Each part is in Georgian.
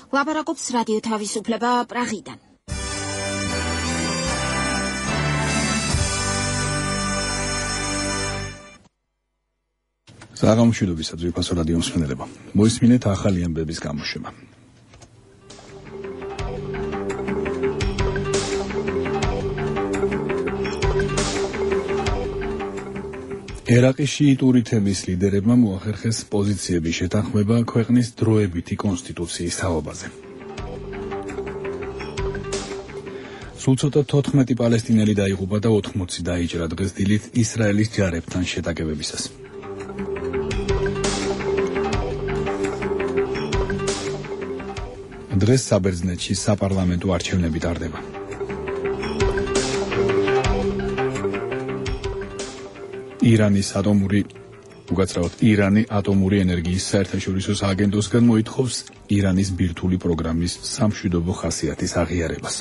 ლაპარაკობს რადიო თავისუფლება პრაღიდან. საღამოშვიდობის ძვირფასო რადიო მსმენელებო. მოისმინეთ ახალი ამბების გამოშვება. ერაყის შიიტური თემის ლიდერებმა მოახერხეს პოზიციების შეთანხმება ქვეყნის დროებითი კონსტიტუციის თაობაზე. სულ ცოტა 14 პალესტინელი დაიღუპა და 80 დაიჭრა დღეს დილით ისრაელის ჯარებთან შეტაკებებისას. დღეს საბერძნეთში საპარლამენტო არჩევნები ტარდება. ირანი ატომური ენერგიის საერთაშორისო სააგენტოსგან მოითხოვს ირანის ბირთვული პროგრამის სამშვიდობო ხასიათის აღიარებას.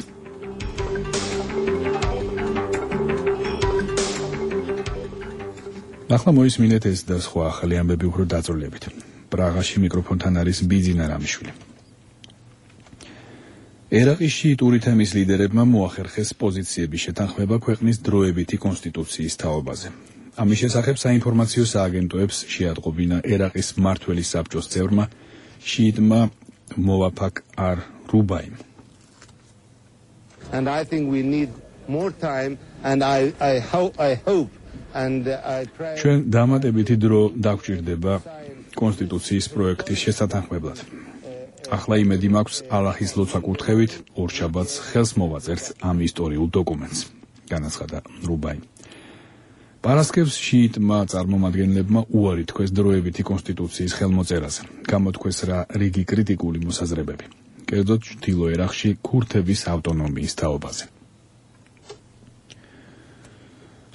ახლა მოისმინეთ ეს და სხვა ახალი ამბები უფრო დაწვრილებით. პრაღაში მიკროფონთან არის ბიძინა რამიშვილი. ერაყის შიიტური თემის ლიდერებმა მოახერხეს პოზიციების შეთანხმება ქვეყნის დროებითი კონსტიტუციის თაობაზე. ამის შესახებ საინფორმაციო სააგენტოებს შეატყობინა ერაყის მმართველი საბჭოს წევრმა შიიტმა მოვაფაკ არ რუბაიმ. And I think we need more time and I hope and I try. ჩვენ დამატებითი დრო დაგვჭირდება კონსტიტუციის პროექტის შესათანხმებლად. ახლა იმედი მაქვს ალაჰის ლოცვა კურთხევით ორშაბათს ხელს მოვაწერთ ამ ისტორიულ დოკუმენტს, განაცხადა რუბაიმ. პარასკევს შიიტმა წარმომადგენლებმა უარი თქვეს დროებითი კონსტიტუციის ხელმოწერაზე, გამოთქვეს რიგი კრიტიკული მოსაზრებები, კერძოდ ჩრდილო ერაყში ქურთების ავტონომიის თაობაზე.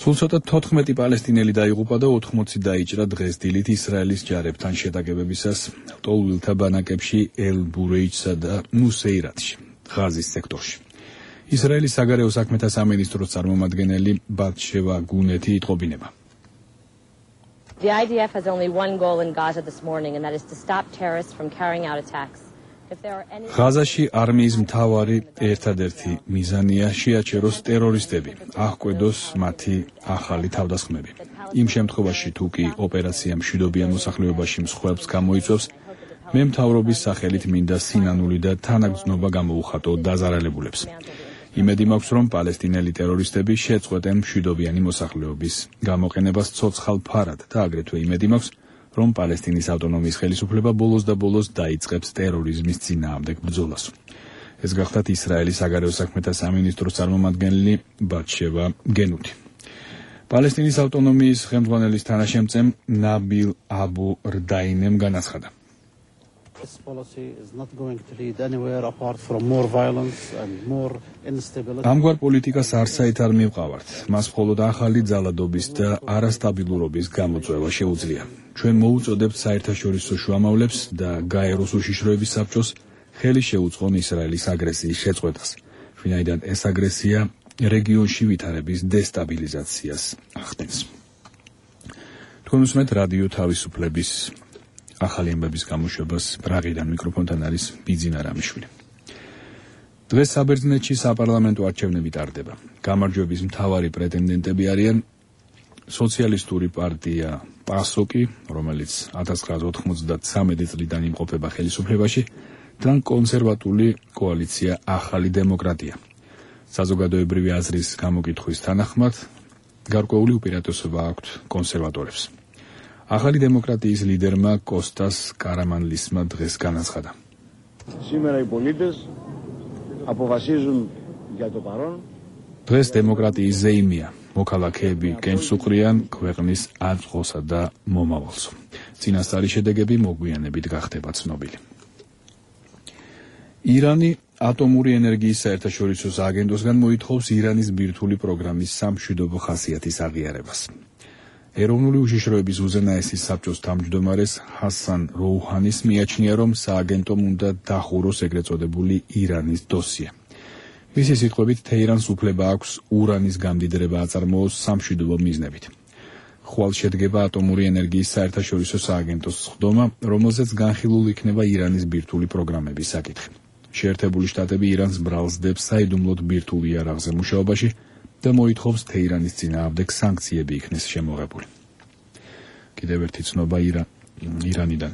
სულ ცოტა 14 პალესტინელი დაიღუპა და 80 დაიჭრა დღეს დილით ისრაელის ჯარებთან შეტაკებებისას ლტოლვილთა ბანაკებში ელ-ბურეიჩსა და ნუსეირატში, ღაზის სექტორში. ისრაელის საგარეო საქმეთა სამინისტროს წარმომადგენელი ბატშევა გუნეთი იტყობინება. The IDF has only one goal in Gaza this morning and that is to stop terrorists from carrying out attacks. ღაზაში არმიის მთავარი ერთადერთი მიზანია შეაჩეროს ტერორისტები, აღკვედოს მათი ახალი თავდასხმები. იმ შემთხვევაში თუ კი ოპერაცია მშვიდობიან მოსახლეობაში მსხვერპლს გამოიწვევს, მე მთავრობის სახელით მინდა სინანული და თანაგრძნობა გამოუხატო დაზარალებულებს. იმედი მაქვს, რომ პალესტინელი ტერორისტები შეწყვეტენ მშვიდობიანი მოსახლეობის გამოყენებას ცოცხალ ფარად და აგრეთვე იმედი მაქვს, რომ პალესტინის ავტონომიის ხელისუფლება ბოლოს და ბოლოს დაიწყებს ტერორიზმის წინააღმდეგ ბრძოლას. ეს გახლავთ ისრაელის საგარეო საქმეთა სამინისტროს წარმომადგენელი ბატშევა გენუთი. პალესტინის ავტონომიის ხელმძღვანელის თანაშემწემ ნაბილ აბუ რდაინემ განაცხადა. This policy is not going to lead anywhere apart from more violence and more instability. ამგვარ პოლიტიკას არცაით არ მივყავართ. მას მხოლოდ ახალი ძალადობის და არასტაბილურობის გამოწვევა შეუძლია. ჩვენ მოუწოდებთ საერთაშორისო შუამავლებს და გაეროს უშიშროების საბჭოს ხელი შეუწყონ ისრაელის აგრესიის შეწყვეტას, ვინაიდან ეს აგრესია რეგიონში ვითარების დესტაბილიზაციას ახდენს. თქვენ უსმენთ რადიო თავისუფლების ახალი ამბების გამოშვებას, პრაღიდან მიკროფონთან არის ბიძინა რამიშვილი. დღეს საბერძნეთში საპარლამენტო არჩევნები ტარდება. გამარჯვების მთავარი პრეტენდენტები არიან სოციალისტური პარტია პასოკი, რომელიც 1993 წლიდან იმყოფება ხელისუფლებაში, და კონსერვატული კოალიცია ახალი დემოკრატია. საზოგადოებრივი აზრის გამოკითხვის თანახმად, გარკვეული უპირატესობა აქვთ კონსერვატორებს. ახალი დემოკრატიის ლიდერმა კოსტას კარამანლისმა დღეს განაცხადა. დღეს დემოკრატიის ზეიმია. მოქალაქეები კენჭს უყრიან ქვეყნის აწმყოსა და მომავალს. წინასწარი შედეგები მოგვიანებით გახდება ცნობილი. ირანი ატომური ენერგიის საერთაშორისო სააგენტოსგან მოითხოვს ირანის ბირთვული პროგრამის სამშვიდობო ხასიათის აღიარებას. ეროვნული უშიშროების უზენაესის საბჭოს თავმჯდომარეს ჰასან როუჰანის მიაჩნია, რომ სააგენტომ უნდა დახუროს ეგრეთ წოდებული ირანის დოსიე. მისი სიტყვებით, თეირანს უფლება აქვს ურანის გამდიდრება აწარმოოს სამშვიდობო მიზნებით. ხვალ შედგება ატომური ენერგიის საერთაშორისო სააგენტოს სხდომა, რომელზეც განხილულ იქნება ირანის ბირთვული პროგრამების საკითხი. შეერთებული შტატები ირანს ბრალსდებს საიდუმლოდ ბირთვულ იარაღზე მუშაობაში და მოითხოვს თეირანის წინააღმდეგ სანქციები იქნეს შემოღებული. კიდევ ერთი ცნობა ირანიდან.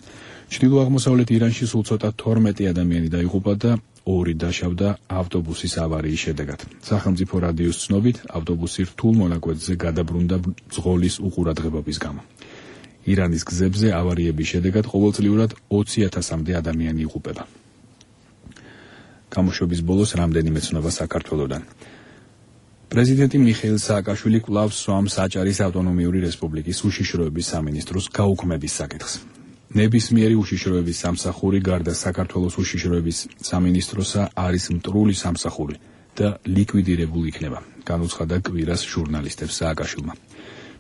ჩრდილო-აღმოსავლეთ ირანში სულ ცოტა 12 ადამიანი დაიღუპა და 2 დაშავდა ავტობუსის ავარიის შედეგად. სახელმწიფო რადიოს ცნობით, ავტობუსი რთულ მონაკვეთზე გადაბრუნდა ძღოლის უყურადღებობის გამო. ირანის გზებზე ავარიების შედეგად ყოველწლიურად 20,000-მდე ადამიანი იღუპება. გამოშვების ბოლოს რამდენიმე ცნობა საქართველოდან. პრეზიდენტი მიხეილ სააკაშვილი კვლავ სვამს აჭარის ავტონომიური რესპუბლიკის უშიშროების სამინისტროს გაუქმების საკითხს. ნებისმიერი უშიშროების სამსახური გარდა საქართველოს უშიშროების სამინისტროსა არის მტრული სამსახური და ლიკვიდირებული იქნება, განუცხადა კვირას ჟურნალისტებს სააკაშვილმა.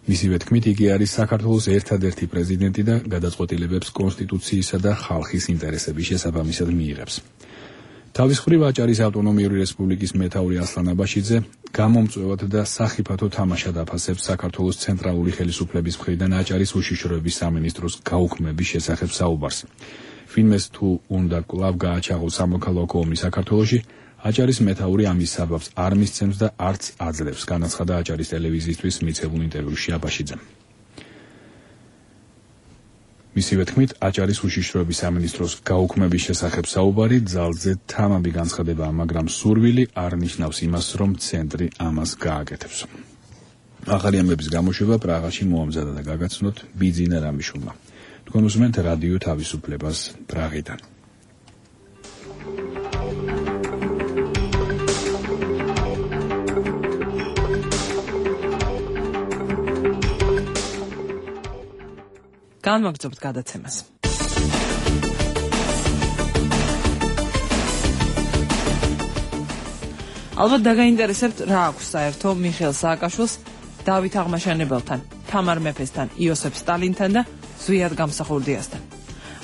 მისივე თქმით, იგი არის საქართველოს ერთადერთი პრეზიდენტი და გადაწყვეტილებებს კონსტიტუციისა და ხალხის ინტერესების შესაბამისად მიიღებს. თავის მხრივ აჭარის ავტონომიური რესპუბლიკის მეთაური ასლან აბაშიძე გამომწვევად და სახიფათო თამაშად აფასებს საქართველოს ცენტრალური ხელისუფლების მხრიდან აჭარის უშიშროების სამინისტროს გაუქმების შესახებ საუბარს. ვინმეს თუ უნდა კვლავ გააჩაღოს სამოქალაქო ომი საქართველოში, აჭარის მეთაური ამის საბაბს არ მისცემს და არც აძლევს, განაცხადა აჭარის ტელევიზიისთვის მიცემულ ინტერვიუში აბაშიძემ. მისივე თქმით, აჭარის უშიშროების სამინისტროს გაუქმების შესახებ საუბარი ძალზე თამამი განცხადებაა, მაგრამ სურვილი არ ნიშნავს იმას, რომ ცენტრი ამას გააკეთებს. ახალი ამბების გამოშვება პრაღაში მოამზადა და გაგაცნოთ ბიძინა რამიშულმა. თქვენ უსმენთ რადიო თავისუფლებას პრაღიდან. განვაგრძობთ გადაცემას. ალბათ დაგაინტერესებთ, რა აქვს საერთო მიხეილ სააკაშვილს დავით აღმაშენებელთან, თამარ მეფესთან, იოსებ სტალინთან და ზვიად გამსახურდიასთან.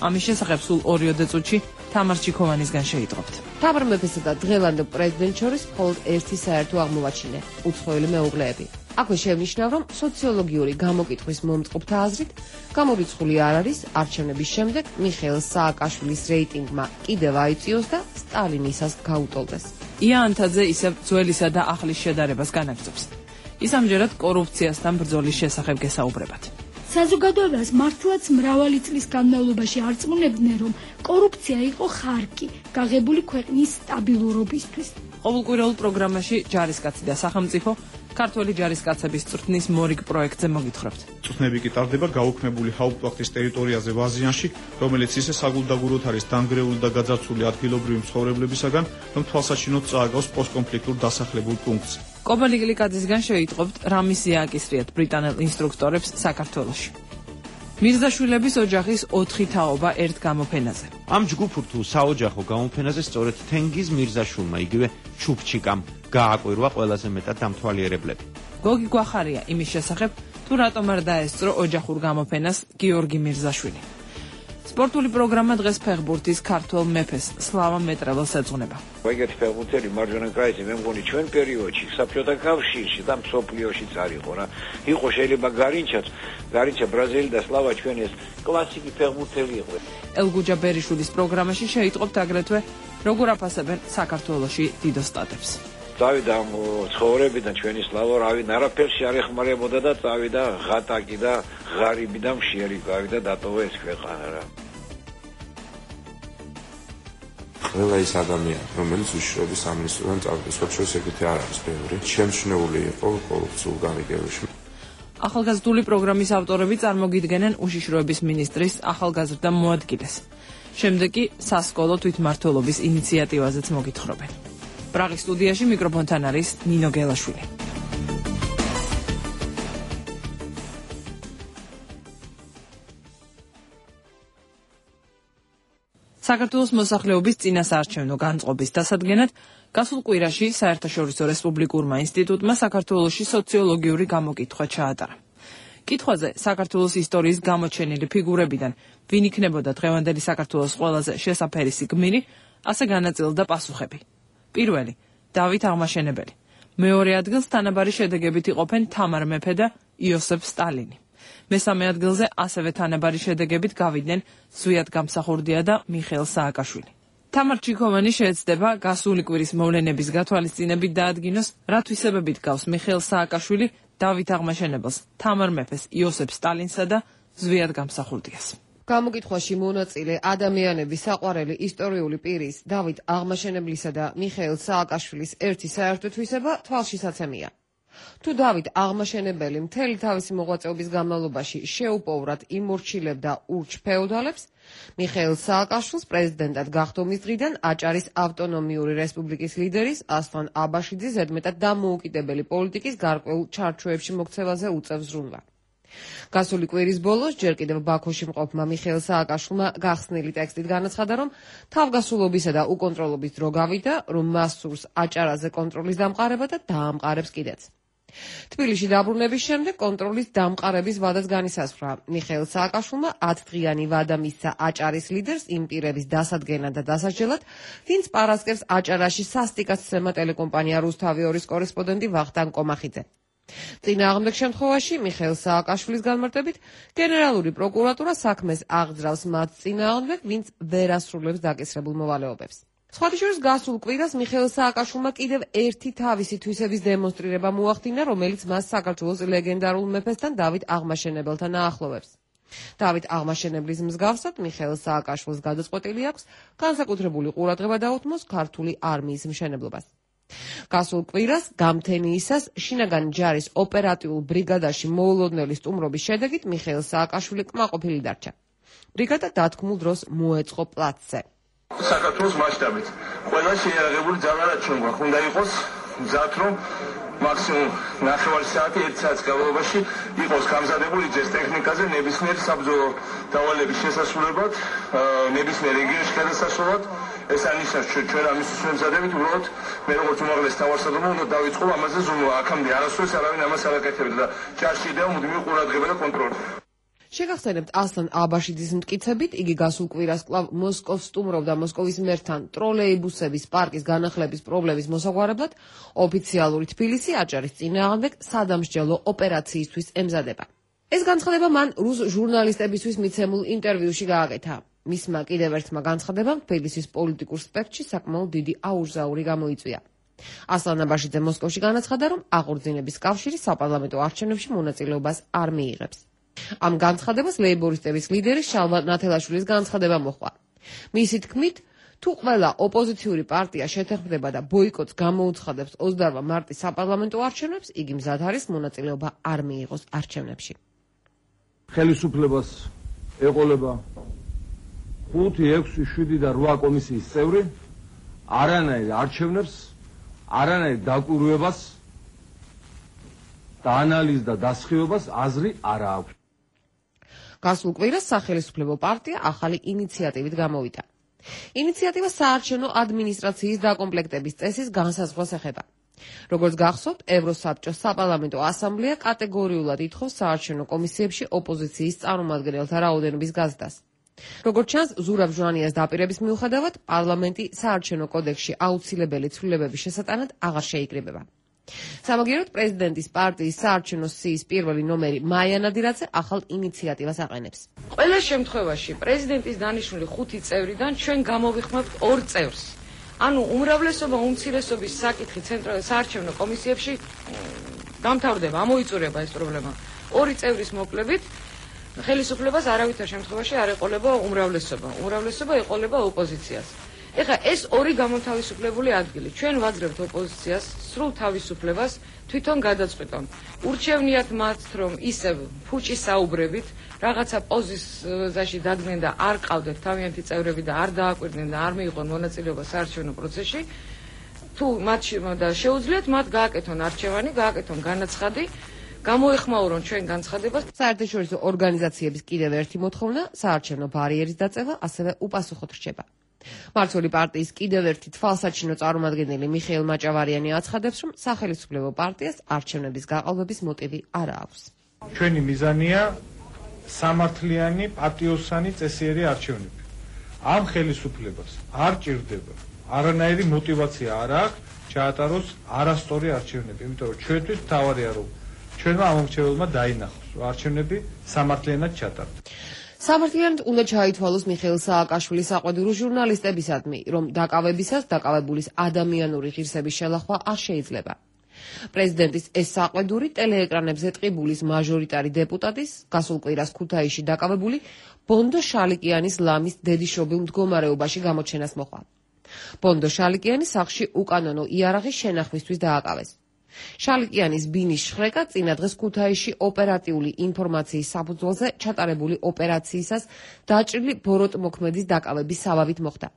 ამის შესახებ სულ 2 წუთში თამარ ჩიქოვანისგან შეიტყობთ. თამარ მეფესა და დღევანდელ პრეზიდენტ შორის მხოლოდ ერთი საერთო აღმოვაჩინე, უცხოელი მეუღლეები. აქვე შევნიშნავ, რომ სოციოლოგიური გამოკითხვის მომწყობთა აზრით, გამორიცხული არ არის არჩევნების შემდეგ მიხეილ სააკაშვილის რეიტინგმა კიდევ აიწიოს და სტალინისას გაუტოლდეს. ია ანთაძე ისევ ძველისა და ახლის შედარებას განაგრძობს. ის ამჯერად კორუფციასთან ბრძოლის შესახებ გესაუბრებათ. საზოგადოებას მართლაც მრავალი წლის განმავლობაში არწმუნებდნენ, რომ კორუფცია იყო ხარკი გაღებული ქვეყნის სტაბილურობისთვის. ყოველკვირეულ პროგრამაში ჯარისკაცი და სახელმწიფო ქართველი ჯარისკაცების წვრთნის მორიგ პროექტზე მოგითხრობთ. წვრთნები კი ტარდება გაუქმებული ჰაუპტვახტის ტერიტორიაზე ვაზიანში, რომელიც ისე საგულდაგუროდ არის დანგრეული და გაძარცვული ადგილობრივი მცხოვრებლებისაგან, რომ თვალსაჩინოდ წააგავს პოსტკონფლიქტურ დასახლებულ პუნქტს. კობალი გლიკაძისგან შეიტყობთ, რა მისია აკისრიათ ბრიტანელ ინსტრუქტორებს საქართველოში. მირზაშვილების ოჯახის 4 თაობა ერთ გამოფენაზე. ამ ჯგუფურ თუ საოჯახო გამოფენაზე სწორედ თენგიზ მირზაშვილმა იგივე ჩუპჩიკამ გააკვირვა ყველაზე მეტად დამთვალიერებლები. გოგი გვახარია იმის შესახებ, თუ რატომ არ დაესწრო ოჯახურ გამოფენას გიორგი მირზაშვილი. სპორტული პროგრამა დღეს ფეხბურთის ქართველ მეფეს სლავა მეტრეველს ეძღვნება. ეგეთი ფეხბურთელი მარჯვენა კრაისი მე მგონი ჩვენ პერიოდში საბჭოთა კავშირში და მსოფლიოშიც არ იყო რა. იყო შეიძლება გარინჩა ბრაზილი და სლავა ჩვენ ეს კლასიკი ფეხბურთელი იყო. ელგუჯა ბერიშვილის პროგრამაში შეიტყობთ აგრეთვე როგორ აფასებენ საქართველოში დიდ ოსტატებს. წავიდა ცხოვრებიდან ჩვენი სლავა რავი არაფერში არ ეხმარებოდა და წავიდა ღატაკი და ღარიბი და მშიერი გავიდა დატოვა ეს ქვეყანა რა. ყველა ის ადამიანი, რომელიც უშიშროების სამინისტროდან წავიდა, სხვათა ეგეთი არ არის ბევრი. შემჩნეული იყო კორუფციულ გამიგებაში. ახალგაზრდული პროგრამის ავტორები წარმოგიდგენენ უშიშროების მინისტრის ახალგაზრდა მოადგილეს. შემდეგ კი სასკოლო თვითმმართველობის ინიციატივაზეც მოგითხრობენ. პრაღის სტუდიაში მიკროფონთან არის ნინო გელაშვილი. საქართველოს მოსახლეობის წინასაარჩევნო განწყობის დასადგენად გასულ კვირაში საერთაშორისო რესპუბლიკურმა ინსტიტუტმა საქართველოში სოციოლოგიური გამოკითხვა ჩაატარა. კითხვაზე საქართველოს ისტორიის გამოჩენილი ფიგურებიდან ვინ იქნებოდა დღევანდელი საქართველოს ყველაზე შესაფერისი გმირი, ასე განაწილდა პასუხები. პირველი, დავით აღმაშენებელი. მეორე ადგილს თანაბარი შედეგებით იყოფენ თამარ მეფე და იოსებ სტალინი. მესამე ადგილზე ასევე თანაბარი შედეგებით გავიდნენ ზვიად გამსახურდია და მიხეილ სააკაშვილი. თამარ ჩიქოვანი შეეცდება გასული კვირის მოვლენების გათვალისწინებით დაადგინოს, რა თვისებებით გავს მიხეილ სააკაშვილი დავით აღმაშენებელს, თამარ მეფეს, იოსებ სტალინსა და ზვიად გამსახურდიას. გამოკითხვაში მონაწილე ადამიანების საყვარელი ისტორიული პირის დავით აღმაშენებლისა და მიხეილ სააკაშვილის ერთი საერთო თვისება თვალშისაცემია. თუ დავით აღმაშენებელი მთელი თავისი მოღვაწეობის განმავლობაში შეუპოვრად იმორჩილებდა ურჩ ფეოდალებს, მიხეილ სააკაშვილს პრეზიდენტად გახდომის დღიდან აჭარის ავტონომიური რესპუბლიკის ლიდერის ასლან აბაშიძის ზედმეტად დამოუკიდებელი პოლიტიკის გარკვეულ ჩარჩოებში მოქცევაზე უწევს ზრუნვა. გასული კვირის ბოლოს ჯერ კიდევ ბაქოში მყოფმა მიხეილ სააკაშვილმა გახსნილი ტექსტით განაცხადა, რომ თავგასულობისა და უკონტროლობის დრო გავიდა, რომ მას სურს აჭარაზე კონტროლის დამყარება და დაამყარებს კიდეც. თბილისში დაბრუნების შემდეგ კონტროლის დამყარების ვადაც განისაზღვრა. მიხეილ სააკაშვილმა 10 დღიანი ვადა მისცა აჭარის ლიდერს იმ პირების დასადგენად და დასაჯელად, ვინც პარასკევს აჭარაში სასტიკაცცემა ტელეკომპანია რუსთავი 2-ის კორესპონდენტი ვახტანგ კომახიძე. წინააღმდეგ შემთხვევაში მიხეილ სააკაშვილის განმარტებით გენერალური პროკურატურა საქმეს აღძრავს მათ წინააღმდეგ, ვინც ვერ ასრულებს დაკისრებულ მოვალეობებს. სხვათა შორის გასულ კვირას მიხეილ სააკაშვილმა კიდევ ერთი თავისი თვისების დემონსტრირება მოახდინა, რომელიც მას საქართველოს ლეგენდარულ მეფესთან დავით აღმაშენებელთან აახლოვებს. დავით აღმაშენებლის მსგავსად მიხეილ სააკაშვილს გადაწყვეტილი აქვს განსაკუთრებული ყურადღება დაუთმოს ქართული არმიის მშენებლობას. გასულ კვირას გამთენიისას შინაგან ჯარის ოპერატიულ ბრიგადაში მოულოდნელი სტუმრობის შედეგით მიხეილ სააკაშვილი კმაყოფილი დარჩა. ბრიგადა დათქმულ დროს მოეწყო პლაცზე. საქართველოს მასშტაბით ყველა შეიარაღებული ძალა რაც ჩვენ გვაქვს უნდა იყოს მზად, რომ მაქსიმუმ 9 საათი 1 საათის განმავლობაში იყოს გამზადებული ჯერ ტექნიკაზე ნებისმიერ საბრძოლო დავალების შესასრულებლად, ნებისმიერ რეგიონში გადასასვლელად. ეს ანიშნავს ჩვენ ამისთვის ვემზადებით, უბრალოდ მე როგორც უმაღლესი თავარსარდალმა უნდა დავიწყო ამაზე ზრუნვა. აქამდე არასდროს არავინ ამას არ აკეთებდა და ჯარში დევა მუდმივი ყურადღება და კონტროლი. შეგახსენებთ ასლან აბაშიძის მტკიცებით, იგი გასულ კვირას კვლავ მოსკოვს სტუმრობდა მოსკოვის მერთან ტროლეიბუსების პარკის განახლების პრობლემის მოსაგვარებლად, ოფიციალური თბილისი აჭარის წინააღმდეგ სადამსჯელო ოპერაციისთვის ემზადება. ეს განცხადება მან რუს ჟურნალისტებისთვის მიცემულ ინტერვიუში გააკეთა. მისმა კიდევ ერთმა განცხადებამ თბილისის პოლიტიკურ სპექტრში საკმაოდ დიდი აურზაური გამოიწვია. ასლან აბაშიძე მოსკოვში განაცხადა, რომ აღორძინების კავშირი საპარლამენტო არჩევნებში მონაწილეობას არ მიიღებს. ამ განცხადებას ლეიბორისტების ლიდერი შალვა ნათელაშვილის განცხადება მოჰყვა. მისი თქმით, თუ ყველა ოპოზიციური პარტია შეთანხმდება და ბოიკოტს გამოუცხადებს 28 მარტის საპარლამენტო არჩევნებს, იგი მზად არის მონაწილეობა არ მიიღოს არჩევნებში. ხელისუფლებას ეყოლება 5, 6, 7 და 8 კომისიის წევრი არანაირ არჩევნებს, არანაირ დაკვირვებას და ანალიზს და დასხივებას აზრი არ აქვს. გასულ კვირას სახელისუფლებო პარტია ახალი ინიციატივით გამოვიდა. ინიციატივა საარჩევნო ადმინისტრაციის დაკომპლექტების წესის განსაზღვრას ეხება. როგორც გახსოვთ, ევროსაბჭოს საპარლამენტო ასამბლეა კატეგორიულად ითხოვს საარჩევნო კომისიებში ოპოზიციის წარმომადგენელთა რაოდენობის გაზრდას. როგორც ჩანს, ზურაბ ჟვანიას დაპირების მიუხედავად, პარლამენტი საარჩევნო კოდექსში აუცილებელი ცვლილებების შესატანად აღარ შეიკრიბება. სამაგიეროდ პრეზიდენტის პარტიის საარჩევნო სიის პირველი ნომერი მაია ნადირაძე ახალ ინიციატივას აყენებს. ყველა შემთხვევაში პრეზიდენტის დანიშნული 5 წევრიდან ჩვენ გამოვიხმართ 2 წევრს. ანუ უმრავლესობა უმცირესობის საკითხი საარჩევნო კომისიებში დამთავრდება, ამოიწურება ეს პრობლემა. 2 წევრის მოკლებით ხელისუფლებას არავითარ შემთხვევაში არ ეყოლება უმრავლესობა. უმრავლესობა ეყოლება ოპოზიციას. ეხლა ეს ორი გამოთავისუფლებული ადგილი. ჩვენ ვაძლევთ ოპოზიციას სრულ თავისუფლებას თვითონ გადაწყვეტონ. ურჩევნიათ მათ, რომ ისევ ფუჭის საუბრებით რაღაცა პოზიციაში დადგნენ და არ ყავდეთ თავიანთი წევრები და არ დააკვირდნენ და არ მიიღონ მონაწილეობა საარჩევნო პროცესში. თუ მათ შეუძლიათ მათ გააკეთონ არჩევანი, გააკეთონ განაცხადი, გამოეხმაურონ ჩვენ განცხადებას. საერთაშორისო ორგანიზაციების კიდევ ერთი მოთხოვნა საარჩევნო ბარიერის დაწევა ასევე უპასუხოდ რჩება. მართული პარტიის კიდევ ერთი თვალსაჩინო წარმომადგენელი მიხეილ მაჭავარიანი აცხადებს, რომ სახელისუფლებო პარტიას არჩევნების გაყალბების მოტივი არ აქვს. ჩვენი მიზანია სამართლიანი, პატიოსანი, წესიერი არჩევნები. ამ ხელისუფლებას არ ჭირდება არანაირი мотиваცია არ აქვს ჩაატაროს არასწორი არჩევნები, იმიტომ რომ ჩვენთვის მთავარია რომ ჩვენმა ამომრჩეველმა დაინახოს, რომ არჩევნები სამართლიანად ჩატარდეს. სამართლიანად უნდა ჩაითვალოს მიხეილ სააკაშვილის საყვედურო ჟურნალისტებისადმი, რომ დაკავებისას დაკავებულის ადამიანური ღირსების შელახვა არ შეიძლება. პრეზიდენტის ეს საყვედური ტელეეკრანებზე ტყიბულის მაჟორიტარი დეპუტატის, გასულ კვირას ქუთაისში დაკავებული ბონდო შალიკიანის ლამის დედიშობილ მდგომარეობაში გამოჩენას მოყვა. ბონდო შალიკიანი სახლში უკანონო იარაღის შენახვისთვის დააკავეს. შალიკიანის ბინის შხრეკა წინა დღეს ქუთაისში ოპერატიული ინფორმაციის საფუძველზე ჩატარებული ოპერაციისას დაჭრილი ბოროტმოქმედის დაკავების საბაბით მოხდა.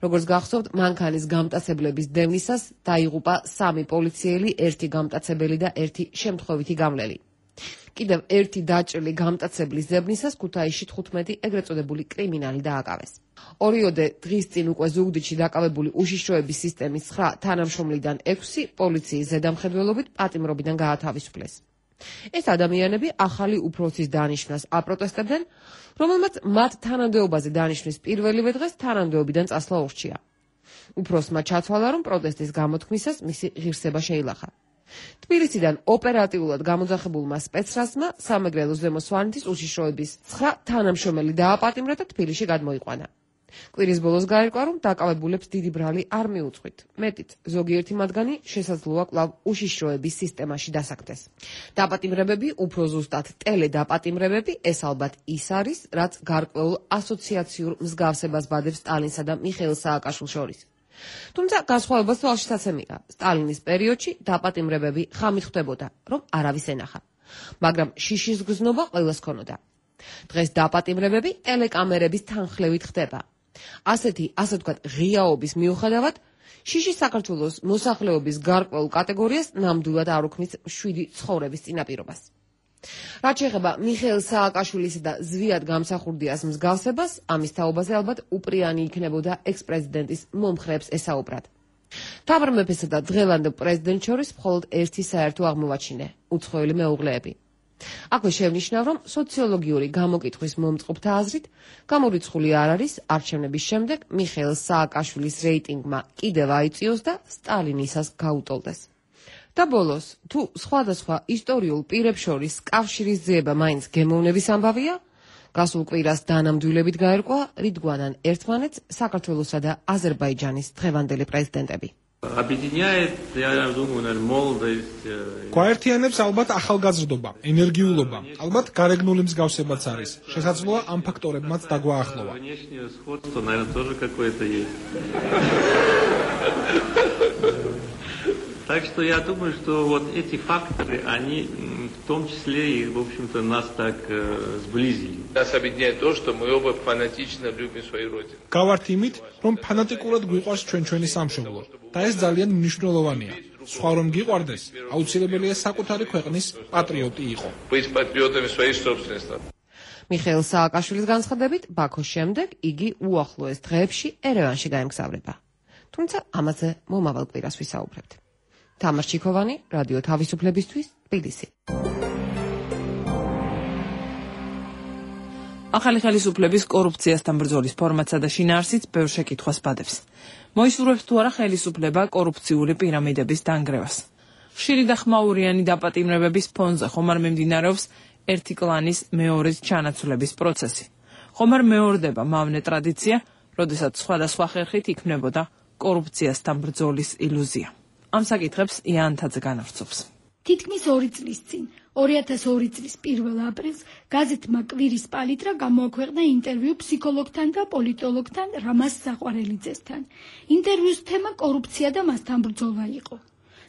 როგორც გახსოვთ, მანქანის გამტაცებლების დევნისას დაიღუპა 3 პოლიციელი, 1 გამტაცებელი და 1 შემთხვევითი გამლელი. კიდევ 1 დაჭრილი გამტაცებლის დევნისას ქუთაისში 15 ეგრეთ წოდებული კრიმინალი დააკავეს. ორიოდე დღის წინ უკვე ზუგდიდში დაკავებული უშიშროების სისტემის 9 თანამშრომლიდან 6 პოლიციის ზედამხედველობით პატიმრობიდან გაათავისუფლეს. ეს ადამიანები ახალი უფროსის დანიშვნას აპროტესტებდნენ, რომელმაც მათ თანამდებობაზე დანიშვნის პირველივე დღეს თანამდებობიდან წასვლა ურჩია. უფროსმა ჩათვალა, რომ პროტესტის გამოთქმისას მისი ღირსება შეილახა. თბილისიდან ოპერატიულად გამოძახებულმა სპეცრაზმა სამეგრელოს ზემო სვანეთის უშიშროების 9 თანამშრომელი დააპატიმრა და თბილისში გადმოიყვანა. კვირის ბოლოს გაირკვა, რომ დაკავებულებს დიდი ბრალი არ მიუძღვით. მეტით, ზოგიერთი მათგანი შესაძლოა კვლავ უშიშროების სისტემაში დასაქმდეს. დაპატიმრებები უფრო ზუსტად ტელედაპატიმრებები, ეს ალბათ ის არის, რაც გარკვეულ ასოციაციურ მსგავსებას ბადებს სტალინსა და მიხეილ სააკაშვილს შორის. თუმცა განსხვავებას თვალშიც აცემია. სტალინის პერიოდში დაპატიმრებები ხამით ხდებოდა, რომ არავის ენახა. მაგრამ შიშის გზნობა ყველას ჰქონოდა. დღეს დაპატიმრებები ტელეკამერების თანხლებით ხდება. ასეთი, ასე ვთქვათ, ღიაობის მიუხედავად, შიში საქართველოს მოსახლეობის გარკვეულ კატეგორიას ნამდვილად არ უქმნის 7 ცხოვრების წინაპირობას. რაც შეეხება მიხეილ სააკაშვილისა და ზვიად გამსახურდიას მსგავსებას, ამის თაობაზე ალბათ უპრიანი იქნებოდა ექს-პრეზიდენტის მომხრეებს ესაუბრათ. თამარ მეფესა და დღევანდელ პრეზიდენტს შორის მხოლოდ ერთი საერთო აღმოვაჩინე: უცხოელი მეუღლეები. აქვე შევნიშნავ, რომ სოციოლოგიური გამოკითხვის მომწყობთა აზრით, გამორიცხული არ არის არჩევნების შემდეგ მიხეილ სააკაშვილის რეიტინგმა კიდევ აიწიოს და სტალინისას გაუტოლდეს. და ბოლოს, თუ სხვადასხვა ისტორიულ პირებს შორის კავშირის ძიება მაინც გემოვნების ამბავია, გასულ კვირას დანამდვილებით გაერკვა, რითგვანან ერთმანეთს საქართველოსა და აზერბაიჯანის დღევანდელი პრეზიდენტები. გვაერთიანებს ალბათ ახალგაზრდობა, ენერგიულობა, ალბათ გარეგნული მსგავსებაც არის. შესაძლოა ამ ფაქტორებმაც დაგვაახლოვა. Так что я думаю, что вот эти факторы, они в том числе и, в общем-то, нас так сблизили. Нас объединяет то, что мы оба фанатично любим свою родину. გავართ იმით, რომ ფანატიკურად გვიყვარს ჩვენი სამშობლო და ეს ძალიან მნიშვნელოვანია. სხვა რომ გიყვარდეს, აუცილებელია საკუთარი ქვეყნის პატრიოტი იყო. Быть патриотами своей собственной страны. მიხეილ სააკაშვილის განცხადებით, ბაქოს შემდეგ იგი უახლოეს დღეებში ერევანში გაემგზავრება. თუმცა ამაზე მომავალ კვირას ვისაუბრებთ. თამარ ჩიქოვანი, რადიო თავისუფლებისთვის, თბილისი. ახალი ხელისუფლების კორუფციასთან ბრძოლის ფორმატსა და შინაარსით ბევრ შეკითხვას ბადებს. მოისურვებს თუ არა ხელისუფლება კორუფციული პირამიდების დანგრევას. ხშირი და ხმაურიანი დაპატიმრებების ფონზე ხომ არ მიმდინარეობს ერთი კლანის მეორეს ჩანაცვლების პროცესი. ხომ არ მეორდება მავნე ტრადიცია, როდესაც სხვადასხვა ხერხით იქმნებოდა კორუფციასთან ბრძოლის ილუზია. ამ საკითხებს იანთაძე განავრცობს. თითქმის 2 წლის წინ, 2002 წლის 1 აპრილს, გაზეთმა კვირის პალიტრა გამოაქვეყნა ინტერვიუ ფსიქოლოგთან და პოლიტოლოგთან რამაზ საყვარელიძესთან. ინტერვიუს თემა კორუფცია და მასთან ბრძოლა იყო.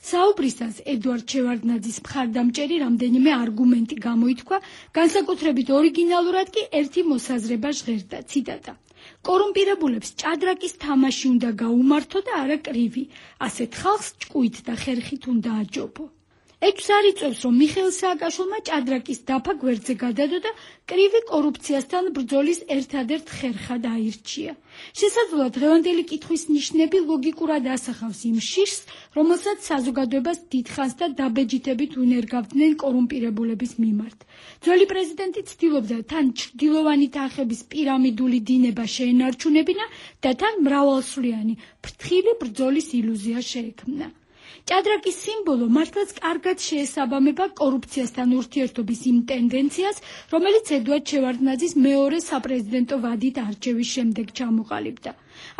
საუბრისას ედუარდ შევარდნაძის მხარდამჭერი რამდენიმე არგუმენტი გამოითქვა, განსაკუთრებით ორიგინალურად კი ერთი მოსაზრება ჟღერდა, ციტატა: კორუმპირებულებს ჭადრაკის თამაში უნდა გაუმართო და არა კრივი, ასეთ ხალხს ჭკუით და ხერხით უნდა აჯობო. ეჭვს არ იწვევს, რომ მიხეილ სააკაშვილმა ჭადრაკის დაფა გვერდზე გადადო და კრივი კორუფციასთან ბრძოლის ერთადერთ ხერხად აირჩია. შესაძლოა დღევანდელი კითხვის ნიშნები ლოგიკურად ასახავს იმ შიშს, რომელსაც საზოგადოებას დიდხანს და დაბეჯითებით უნერგავდნენ კორუმპირებულების მიმართ. ძველი პრეზიდენტი ცდილობდა თან ჩრდილოვანი თანხების პირამიდული დინება შეენარჩუნებინა და თან მრავალსვლიანი, ფრთხილი ბრძოლის ილუზია შეექმნა. ჭადრაკის სიმბოლო მართლაც კარგად შეესაბამება კორუფციასთან ურთიერთობის იმ ტენდენციას, რომელიც ედუარდ შევარდნაძის მეორე საპრეზიდენტო ვადით არჩევის შემდეგ ჩამოყალიბდა.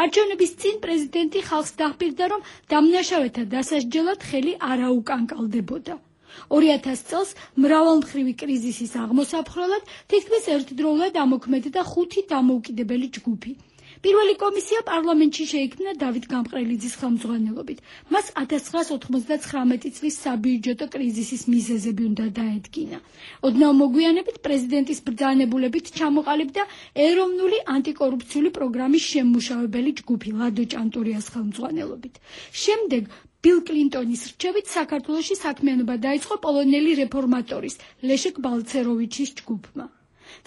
არჩევნების წინ პრეზიდენტი ხალხს დაჰპირდა, რომ დამნაშავეთა დასასჯელად ხელი არ აუკანკალდებოდა. 2000 წელს მრავალმხრივი კრიზისის აღმოსაფხრელად თითქმის ერთდროულად ამოქმედდა 5 დამოუკიდებელი ჯგუფი. პირველი კომისია პარლამენტში შეიქმნა დავით გამყრელიძის ხელმძღვანელობით. მას 1999 წლის საბიუჯეტო კრიზისის მიზეზები უნდა დაედგინა. ოდნავ მოგვიანებით პრეზიდენტის ბრძანებულებით ჩამოყალიბდა ეროვნული ანტიკორუფციული პროგრამის შემმუშავებელი ჯგუფი ლადო ჭანტურიას ხელმძღვანელობით. შემდეგ ბილ კლინტონის რჩევით საქართველოში საქმიანობა დაიწყო პოლონელი რეფორმატორის ლეშეკ ბალცეროვიჩის ჯგუფმა.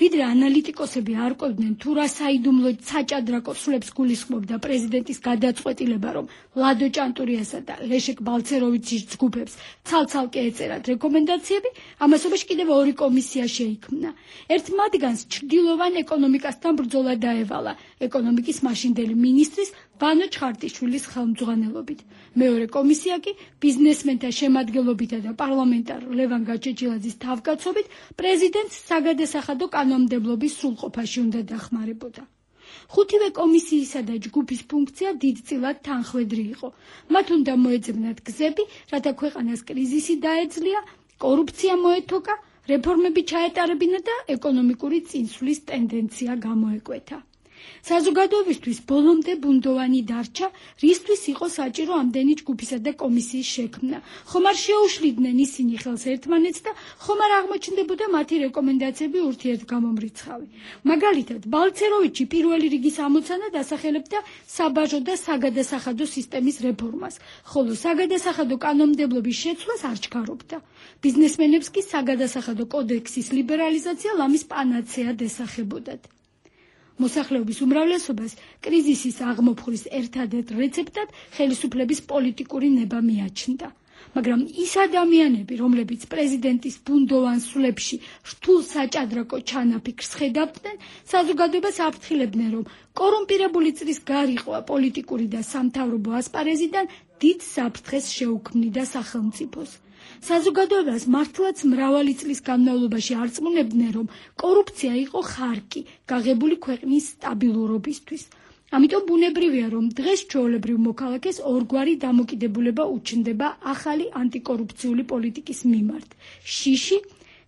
ვიდრე ანალიტიკოსები არ ყვებდნენ თუ რა საიდუმლო საჭადრაკო სულებს გულისხმობდა პრეზიდენტის გადაწყვეტილება, რომ ლადო ჭანტურიასა და ლეშეკ ბალცეროვიჩის ჯგუფებს ცალ-ცალკე ეწერათ რეკომენდაციები, ამასობაში კიდევ ორი კომისია შეიქმნა. ერთ მათგანს ჩრდილოვან ეკონომიკასთან ბრძოლა დაევალა ეკონომიკის მაშინდელი მინისტრის ვანო ჩხარტიშვილის ხელმძღვანელობით. მეორე კომისია კი ბიზნესმენთა შემადგენლობითა და პარლამენტარ ლევან გაჩეჩილაძის თავკაცობით პრეზიდენტს საგადასახადო კანონმდებლობის სრულყოფაში უნდა დახმარებოდა. ხუთივე კომისიისა და ჯგუფის ფუნქცია დიდწილად თანხვედრი იყო. მათ უნდა მოეძებნათ გზები, რათა ქვეყანას კრიზისი დაეძლია, კორუფცია მოეთოკა, რეფორმები ჩაეტარებინა და ეკონომიკური წინსვლის ტენდენცია გამოეკვეთა. საზოგადოებისთვის ბოლომდე ბუნდოვანი დარჩა, რისთვის იყო საჭირო ამდენი ჯგუფისა და კომისიის შექმნა. ხომ არ შეუშლიდნენ ისინი ხელს ერთმანეთს და ხომ არ აღმოჩნდებოდა მათი რეკომენდაციები ურთიერთგამომრიცხავი. მაგალითად, ბალცეროვიჩი პირველი რიგის ამოცანად ასახელებდა საბაჟო და საგადასახადო სისტემის რეფორმას, ხოლო საგადასახადო კანონმდებლობის შეცვლას არ ჩქარობდა. ბიზნესმენებს კი საგადასახადო კოდექსის ლიბერალიზაცია ლამის პანაცეად ესახებოდათ. მოსახლეობის უმრავლესობას კრიზისის აღმოფხვის ერთადერთ რეცეპტად ხელისუფლების პოლიტიკური ნება მიაჩნდა. მაგრამ ის ადამიანები, რომლებიც პრეზიდენტის ბუნდოვან სულებში რთულ საჭადრაკო ჩანაფიქრს ხედავდნენ, საზოგადოებას აფრთხილებდნენ, რომ კორუმპირებული წრის გარიყვა პოლიტიკური და სამთავრობო ასპარეზიდან დიდ საფრთხეს შეუქმნიდა სახელმწიფოს. საზოგადოებას მართლაც მრავალი წლის განმავლობაში არწმუნებდნენ, რომ კორუფცია იყო ხარკი გაღებული ქვეყნის სტაბილურობისთვის. ამიტომ ბუნებრივია, რომ დღეს ჩვეულებრივ მოქალაქეს ორგვარი დამოკიდებულება უჩნდება ახალი ანტიკორუფციული პოლიტიკის მიმართ. შიში,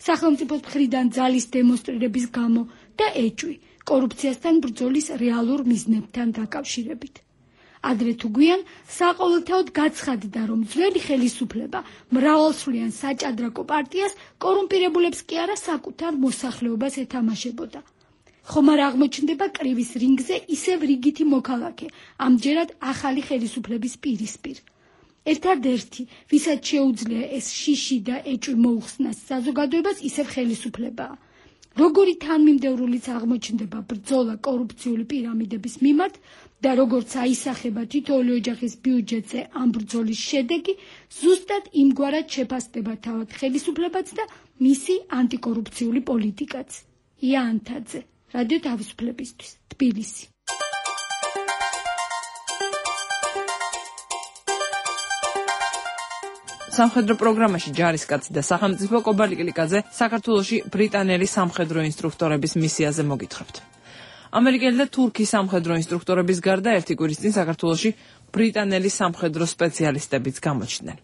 სახელმწიფოს მხრიდან ძალის დემონსტრირების გამო და ეჭვი, კორუფციასთან ბრძოლის რეალურ მიზნებთან დაკავშირებით. ადრე თუ გვიან საყოველთაოდ გაცხადდა, რომ ძველი ხელისუფლება მრავალსვლიან საჭადრაკო პარტიას კორუმპირებულებს კი არა საკუთარ მოსახლეობას ეთამაშებოდა. ხომ არ აღმოჩნდება კრივის რინგზე ისევ რიგითი მოქალაქე, ამჯერად ახალი ხელისუფლების პირისპირ. ერთადერთი, ვისაც შეუძლია ეს შიში და ეჭვი მოუხსნას საზოგადოებას, ისევ ხელისუფლებაა. როგორი თანმიმდევრულიც აღმოჩნდება ბრძოლა კორუფციული პირამიდების მიმართ და როგორც აისახება თითოეული ოჯახის ბიუჯეტზე ამ ბრძოლის შედეგი, ზუსტად იმგვარად შეფასდება თავად ხელისუფლებაც და მისი ანტიკორუფციული პოლიტიკაც. ია ანთაძე, რადიო თავისუფლებისთვის, თბილისი. სამხედრო პროგრამაში ჯარისკაცი და სახელმწიფო კობალიკლიკაძე საქართველოში ბრიტანელი სამხედრო ინსტრუქტორების მისიაზე მოგითხრებთ. ამერიკელი და თურქი სამხედრო ინსტრუქტორების გარდა ერთი კვირის წინ საქართველოში ბრიტანელი სამხედრო სპეციალისტებიც გამოჩნდნენ.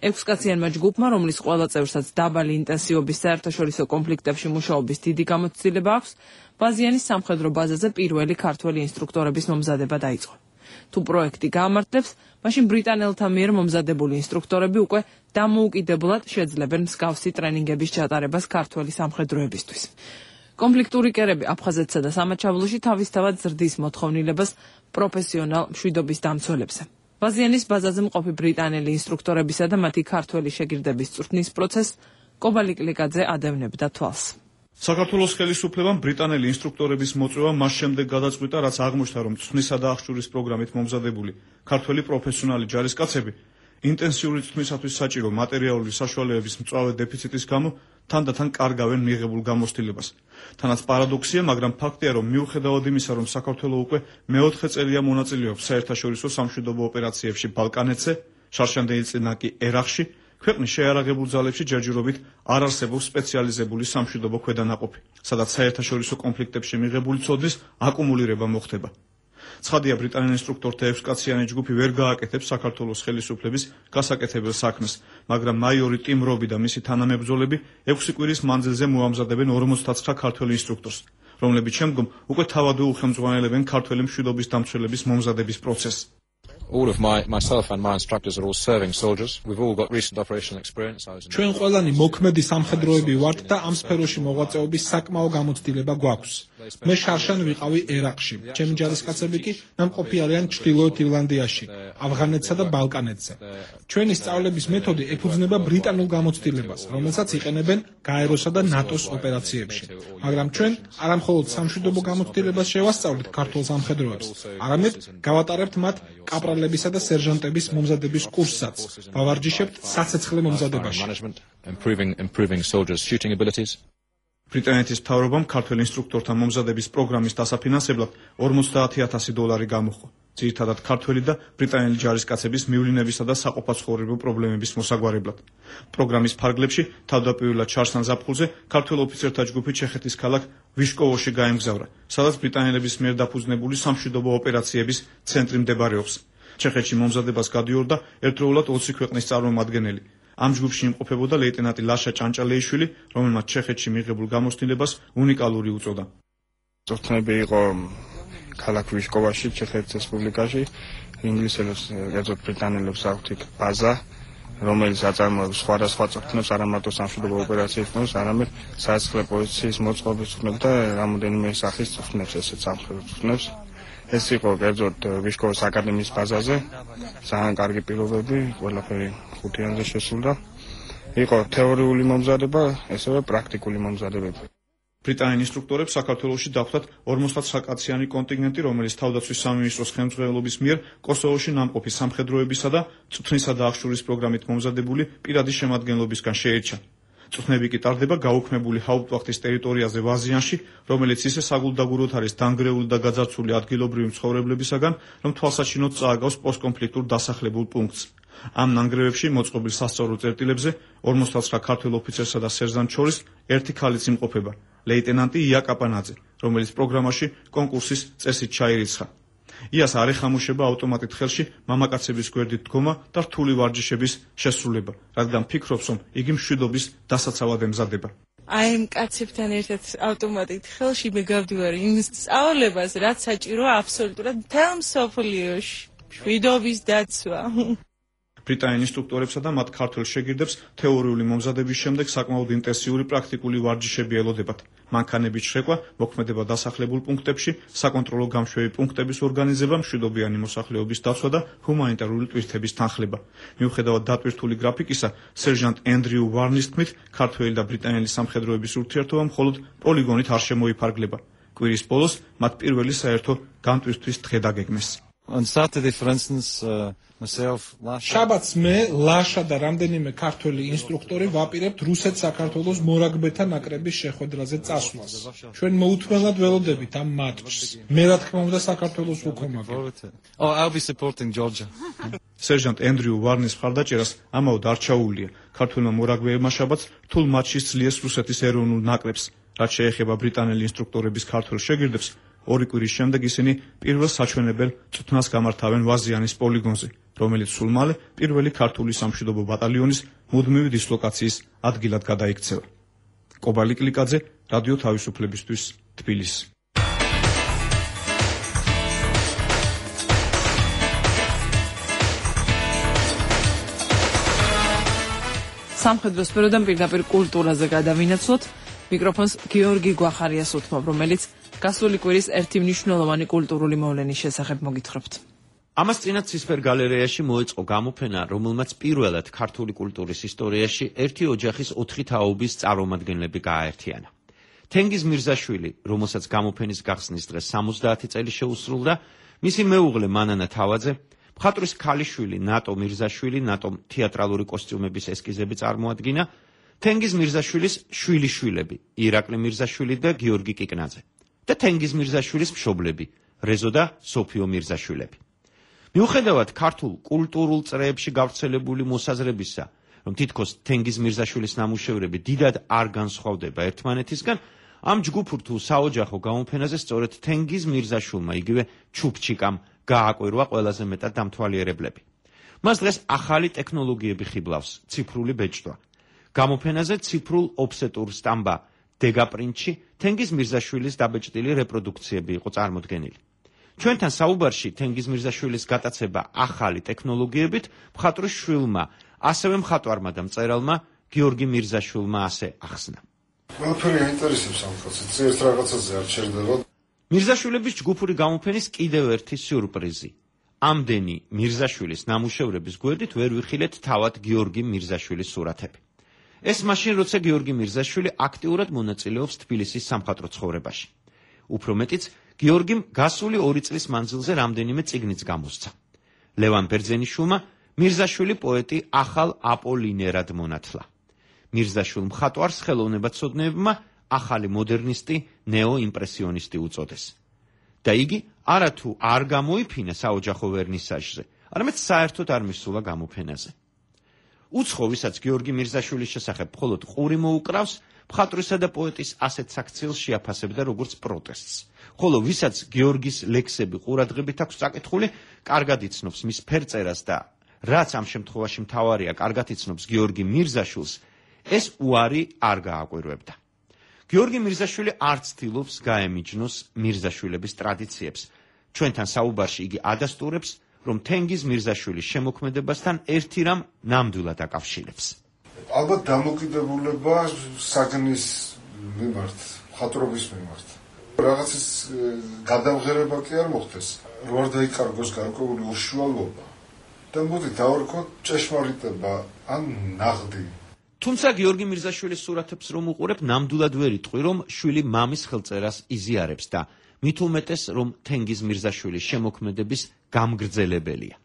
6 კაციანმა ჯგუფმა, რომლის ყველა წევრსაც დაბალი ინტენსივობის საერთაშორისო კონფლიქტებში მუშაობის დიდი გამოცდილება აქვს, ბაზიანის სამხედრო ბაზაზე პირველი ქართველი ინსტრუქტორების მომზადება დაიწყო. თუ პროექტი გაამართლებს, მაშინ ბრიტანელთა მიერ მომზადებული ინსტრუქტორები უკვე დამოუკიდებლად შეძლებენ მსგავსი ტრენინგების ჩატარებას ქართველი სამხედროებისთვის. კონფლიქტური კერები აფხაზეთსა და სამაჩაბლოში თავისთავად ზრდის მოთხოვნილებას პროფესიონალ მშვიდობის დამცველებზე. ბაზიანის ბაზაზე მყოფი ბრიტანელი ინსტრუქტორებისა და მათი ქართველი შეგირდების წვრთნის პროცესს კობალიკლიკაძე ადევნებდა თვალს. საქართველოს ხელისუფლებამ ბრიტანელი ინსტრუქტორების მოწვევა მას შემდეგ გადაწყვიტა, რაც აღმოჩნდა, რომ წვნისა და აღჭურის პროგრამით მომზადებული ქართველი პროფესიონალი ჯარისკაცები ინტენსიური წვნისათვის საჭირო მატერიალური საშუალებების მწვავე დეფიციტის გამო თანდათან კარგავენ მიღებულ გამოცდილებას. თანაც პარადოქსია, მაგრამ ფაქტია, რომ მიუხედავად იმისა, რომ საქართველო უკვე მე-4 წელია მონაწილეობს საერთაშორისო სამშვიდობო ოპერაციებში ბალკანეთზე, შარშანდელი წინა კი ერაყში, ქვეყნის შეიარაღებულ ძალებში ჯერჯერობით არ არსებობს სპეციალიზებული სამშვიდობო ქვედანაყოფი, სადაც საერთაშორისო კონფლიქტებში მიღებული ცოდნის აკუმულირება მოხდება. ცხადია, ბრიტანელ ინსტრუქტორთა 6 კაციანი ჯგუფი ვერ გააკეთებს საქართველოს ხელისუფლების გასაკეთებელ საქმეს, მაგრამ მაიორი ტიმ რობი და მისი თანამებრძოლები 6 კვირის მანძილზე მოამზადებენ 49 ქართველ ინსტრუქტორს, რომლებიც შემდგომ უკვე თავადვე უხელმძღვანელებენ ქართველი მშვიდობის დამცველების მომზადების პროცესს. All of myself and my instructors are all serving soldiers. We've all got recent operational experience. ჩვენ ყველანი მოქმედი სამხედროები ვართ და ამ სფეროში მოღვაწეობის საკმაო გამოცდილება გვაქვს. მე შარშან ვიყავი ერაყში. ჩემი ჯარისკაცები კი ნამყოფი არიან ჩრდილოეთ ირლანდიაში, ავღანეთსა და ბალკანეთზე. ჩვენი სწავლების მეთოდი ეფუძნება ბრიტანულ გამოცდილებას, რომელსაც იყენებენ გაეროსა და ნატოს ოპერაციებში. მაგრამ ჩვენ არამხოლოდ სამშვიდობო გამოცდილებას შევასწავლით ქართულ სამხედროებს, არამედ გავატარებთ მათ კაპრალებისა და სერჟანტების მომზადების კურსსაც. ვავარჯიშებთ საცეცხლე მომზადებაში. Improving soldiers' shooting abilities. ბრიტანეთის მთავრობამ ქართველ ინსტრუქტორთა მომზადების პროგრამის დასაფინანსებლად $50,000 გამოხო. ძირითადად ქართველი და ბრიტანელი ჯარისკაცების მივლინებისა და საყოფაცხოვრებო პრობლემების მოსაგვარებლად. პროგრამის ფარგლებში თავდაპირველად ჩარსან ზაფხულზე ქართველ ოფიცერთა ჯგუფი ჩეხეთის ქალაქ ვიშკოვოში გაემგზავრა, სადაც ბრიტანელების მიერ დაფუძნებული სამშვიდობო ოპერაციების ცენტრი მდებარეობს. ჩეხეთში მომზადებას გადიორდა ერთდროულად 20 ქვეყნის წარმომადგენელი. ამ ჯგუფში იმყოფებოდა ლეიტენანტი ლაშა ჭანჭალეიშვილი, რომელმაც ჩეხეთში მიღებულ გამოცდილებას უნიკალური უწოდა. წვრთნები იყო ქალაქ ვიშკოვაში, ჩეხეთის რესპუბლიკაში, ინგლისელებს, კერძოდ ბრიტანელებს აქვთ იქ ბაზა, რომელიც აწარმოებს სხვადასხვა წვრთნებს, არა მარტო სამშვიდობო ოპერაციებს, არამედ სასახლე პოლიციის მოწყობის წვრთნებს და რამოდენიმე სახის წვრთნებს, ესეც სამხედრო წვრთნებს. ეს იყო კერძოდ ვიშკოვის აკადემიის ბაზაზე, ძალიან კარგი პირობები, ყველაფერი ხუთიანზე შესულდა. იყო თეორიული მომზადება, ესევე პრაქტიკული მომზადებები. ბრიტანელ ინსტრუქტორებს საქართველოში დახვდათ 59 კაციანი კონტინგენტი, რომელიც თავდაცვის სამინისტროს ხელმძღვანელობის მიერ კოსოვოში ნამყოფი სამხედროებისა და წვრთნისა და აღშურის პროგრამით მომზადებული პირადი შემადგენლობისგან შეირჩა. წვრთნები კი ტარდება გაუქმებული ჰაუპტვახტის ტერიტორიაზე ვაზიანში, რომელიც ისე საგულდაგუროდ არის დანგრეული და გაძარცვული ადგილობრივი მცხოვრებლებისაგან, რომ თვალსაჩინოდ წააგავს პოსტკონფლიქტურ დასახლებულ პუნქტს. ამ ნანგრევებში მოწყობილ სასწავლებო წერტილებზე 59 ქართველ ოფიცერსა და სერჟანტს შორის ერთი ქალიც იმყოფება, ლეიტენანტი ია კაპანაძე, რომელიც პროგრამაში კონკურსის წესით ჩაირიცხა. იას არ ეხამუშება ავტომატით ხელში მამაკაცების გვერდით დგომა და რთული ვარჯიშების შესრულება, რადგან ფიქრობს, რომ იგი მშვიდობის დასაცავად ემზადება. აი ამ კაცებთან ერთად ავტომატით ხელში მე გავდივარ იმ სწავლებას, რაც საჭიროა აბსოლუტურად მთელ მსოფლიოში. მშვიდობის დაცვა. ბრიტანელ ინსტრუქტორებსა და მათ ქართველ შეგირდებს თეორიული მომზადების შემდეგ საკმაოდ ინტენსიური პრაქტიკული ვარჯიშები ელოდებათ. მანქანების შეკვა, მოქმედება დასახლებულ პუნქტებში, საკონტროლო გამშვევი პუნქტების ორგანიზება, მშვიდობიანი მოსახლეობის დაცვა და ჰუმანიტარული ტვირთების თანხლება. მიუხედავად დატვირთული გრაფიკისა, სერჟანტ ენდრიუ ვარნის თქმით, ქართველი და ბრიტანელი სამხედროების ურთიერთობა მხოლოდ პოლიგონით არ შემოიფარგლება. კვირის ბოლოს მათ პირველი საერთო განტვირთვის დღე დაგეგმეს. On Saturday, for instance, myself, შაბათს მე, ლაშა და რამდენიმე ქართველი ინსტრუქტორი ვაპირებთ რუსეთ-საქართველოს მორაგბეთა ნაკრების შეხვედრაზე წასვლას. ჩვენ მოუთმენლად ველოდებით ამ მატჩს. მე რა თქმა უნდა საქართველოს ვუქომაგებ. Oh, I'll be supporting Georgia. სერჟანტ ენდრიუ ვარნის მხარდაჭერას ამაოდ არ ჩაუვლია. ქართველმა მორაგბეებმა შაბათს რთულ მატჩში სძლიეს რუსეთის ეროვნულ ნაკრებს. რაც შეეხება ბრიტანელი ინსტრუქტორების ქართველ შეგირდებს, 2 კვირის შემდეგ ისინი პირველ საჩვენებელ წვრთნას გამართავენ ვაზიანის პოლიგონზე, რომელიც სულ მალე პირველი ქართული სამშვიდობო ბატალიონის მუდმივი დისლოკაციის ადგილად გადაიქცევა. კობალი კლიკაძე, რადიო თავისუფლებისთვის, თბილისი. სამხედრო სფეროდან პირდაპირ კულტურაზე გადავინაცვლოთ. მიკროფონს გიორგი გვახარიას უთმობ, რომელიც გასული კვირის ერთი მნიშვნელოვანი კულტურული მოვლენის შესახებ მოგითხრობთ. ამას წინათ ცისფერ გალერეაში მოეწყო გამოფენა, რომელმაც პირველად ქართული კულტურის ისტორიაში ერთი ოჯახის 4 თაობის წარმომადგენლები გააერთიანა. თენგიზ მირზაშვილი, რომელსაც გამოფენის გახსნის დღეს 70 წელი შეუსრულდა, მისი მეუღლე მანანა თავაძე, მხატვრის ქალიშვილი ნატო მირზაშვილი, ნატომ თეატრალური კოსტიუმების ესკიზები წარმოადგინა, თენგიზ მირზაშვილის შვილიშვილები, ირაკლი მირზაშვილი და გიორგი კიკნაძე და თენგიზ მირზაშვილის მშობლები, რეზო და სოფიო მირზაშვილები. მიუხედავად ქართულ კულტურულ წრეებში გავრცელებული მოსაზრებისა, რომ თითქოს თენგიზ მირზაშვილის ნამუშევრები დიდად არ განსხვავდება ერთმანეთისგან, ამ ჯგუფურ თუ საოჯახო გამოფენაზე სწორედ თენგიზ მირზაშვილმა იგივე ჩუპჩიკამ გააკვირვა ყველაზე მეტად დამთვალიერებლები. მას დღეს ახალი ტექნოლოგიები ხიბლავს, ციფრული ბეჭდვა. გამოფენაზე ციფრულ ოფსეტურ სტამბა დეგაპრინტში თენგიზ მირზაშვილის დაბეჭდილი რეპროდუქციები იყო წარმოდგენილი. ჩვენთან საუბარში თენგიზ მირზაშვილის გატაცება ახალი ტექნოლოგიებით მხატვრის შვილმა, ასევე მხატვარმა და მწერალმა გიორგი მირზაშვილმა ასე ახსნა. ყველაფერი აინტერესებს ამ კაცს, წერს რაღაცაზე არ ჩერდება. მირზაშვილების ჯგუფური გამოფენის კიდევ ერთი სიურპრიზი. ამდენი მირზაშვილის ნამუშევრების გვერდით ვერ ვიხილეთ თავად გიორგი მირზაშვილის სურათები. ეს მაშინ, როცა გიორგი მირზაშვილი აქტიურად მონაწილეობს თბილისის სამხატვრო ცხოვრებაში. უფრო მეტიც, გიორგიმ გასული 2 წლის მანძილზე რამდენიმე წიგნიც გამოსცა. ლევან ბერძენიშვილმა მირზაშვილი პოეტი ახალ აპოლინერად მონათლა. მირზაშვილ მხატვარს ხელოვნებაცოდნეებმა ახალი მოდერნისტი, ნეოიმპრესიონისტი უწოდეს. და იგი არათუ არ გამოიფინა საოჯახო ვერნისაჟზე, არამედ საერთოდ არ მისულა გამოფენაზე. უცხო, ვისაც გიორგი მირზაშვილის შესახებ მხოლოდ ყური მოუკრავს, მხატვრისა და პოეტის ასეთ საქციელს შეაფასებდა როგორც პროტესტს. ხოლო ვისაც გიორგის ლექსები ყურადღებით აქვს წაკითხული, კარგად იცნობს მის ფერწერას და რაც ამ შემთხვევაში მთავარია, კარგად იცნობს გიორგი მირზაშვილს, ეს უარი არ გააკვირვებდა. გიორგი მირზაშვილი არ ცდილობს გაემიჯნოს მირზაშვილების ტრადიციებს. ჩვენთან საუბარში იგი ადასტურებს, რომ თენგიზ მირზაშვილის შემოქმედებასთან ერთი რამ ნამდვილად აკავშირებს. ალბათ დამოკიდებულება საგნის მიმართ, მხატვრობის მიმართ. რაღაცის გადამღერება კი არ მოხდეს, რო არ დაიკარგოს გარკვეული უშუალობა და მოდი დავარქოთ ჭეშმარიტება ან ნაღდი. თუმცა გიორგი მირზაშვილის სურათებს რომ უყურებ, ნამდვილად ვერ იტყვი, რომ შვილი მამის ხელწერას იზიარებს და მით უმეტეს, რომ თენგიზ მირზაშვილის შემოქმედების გამგრძელებელია.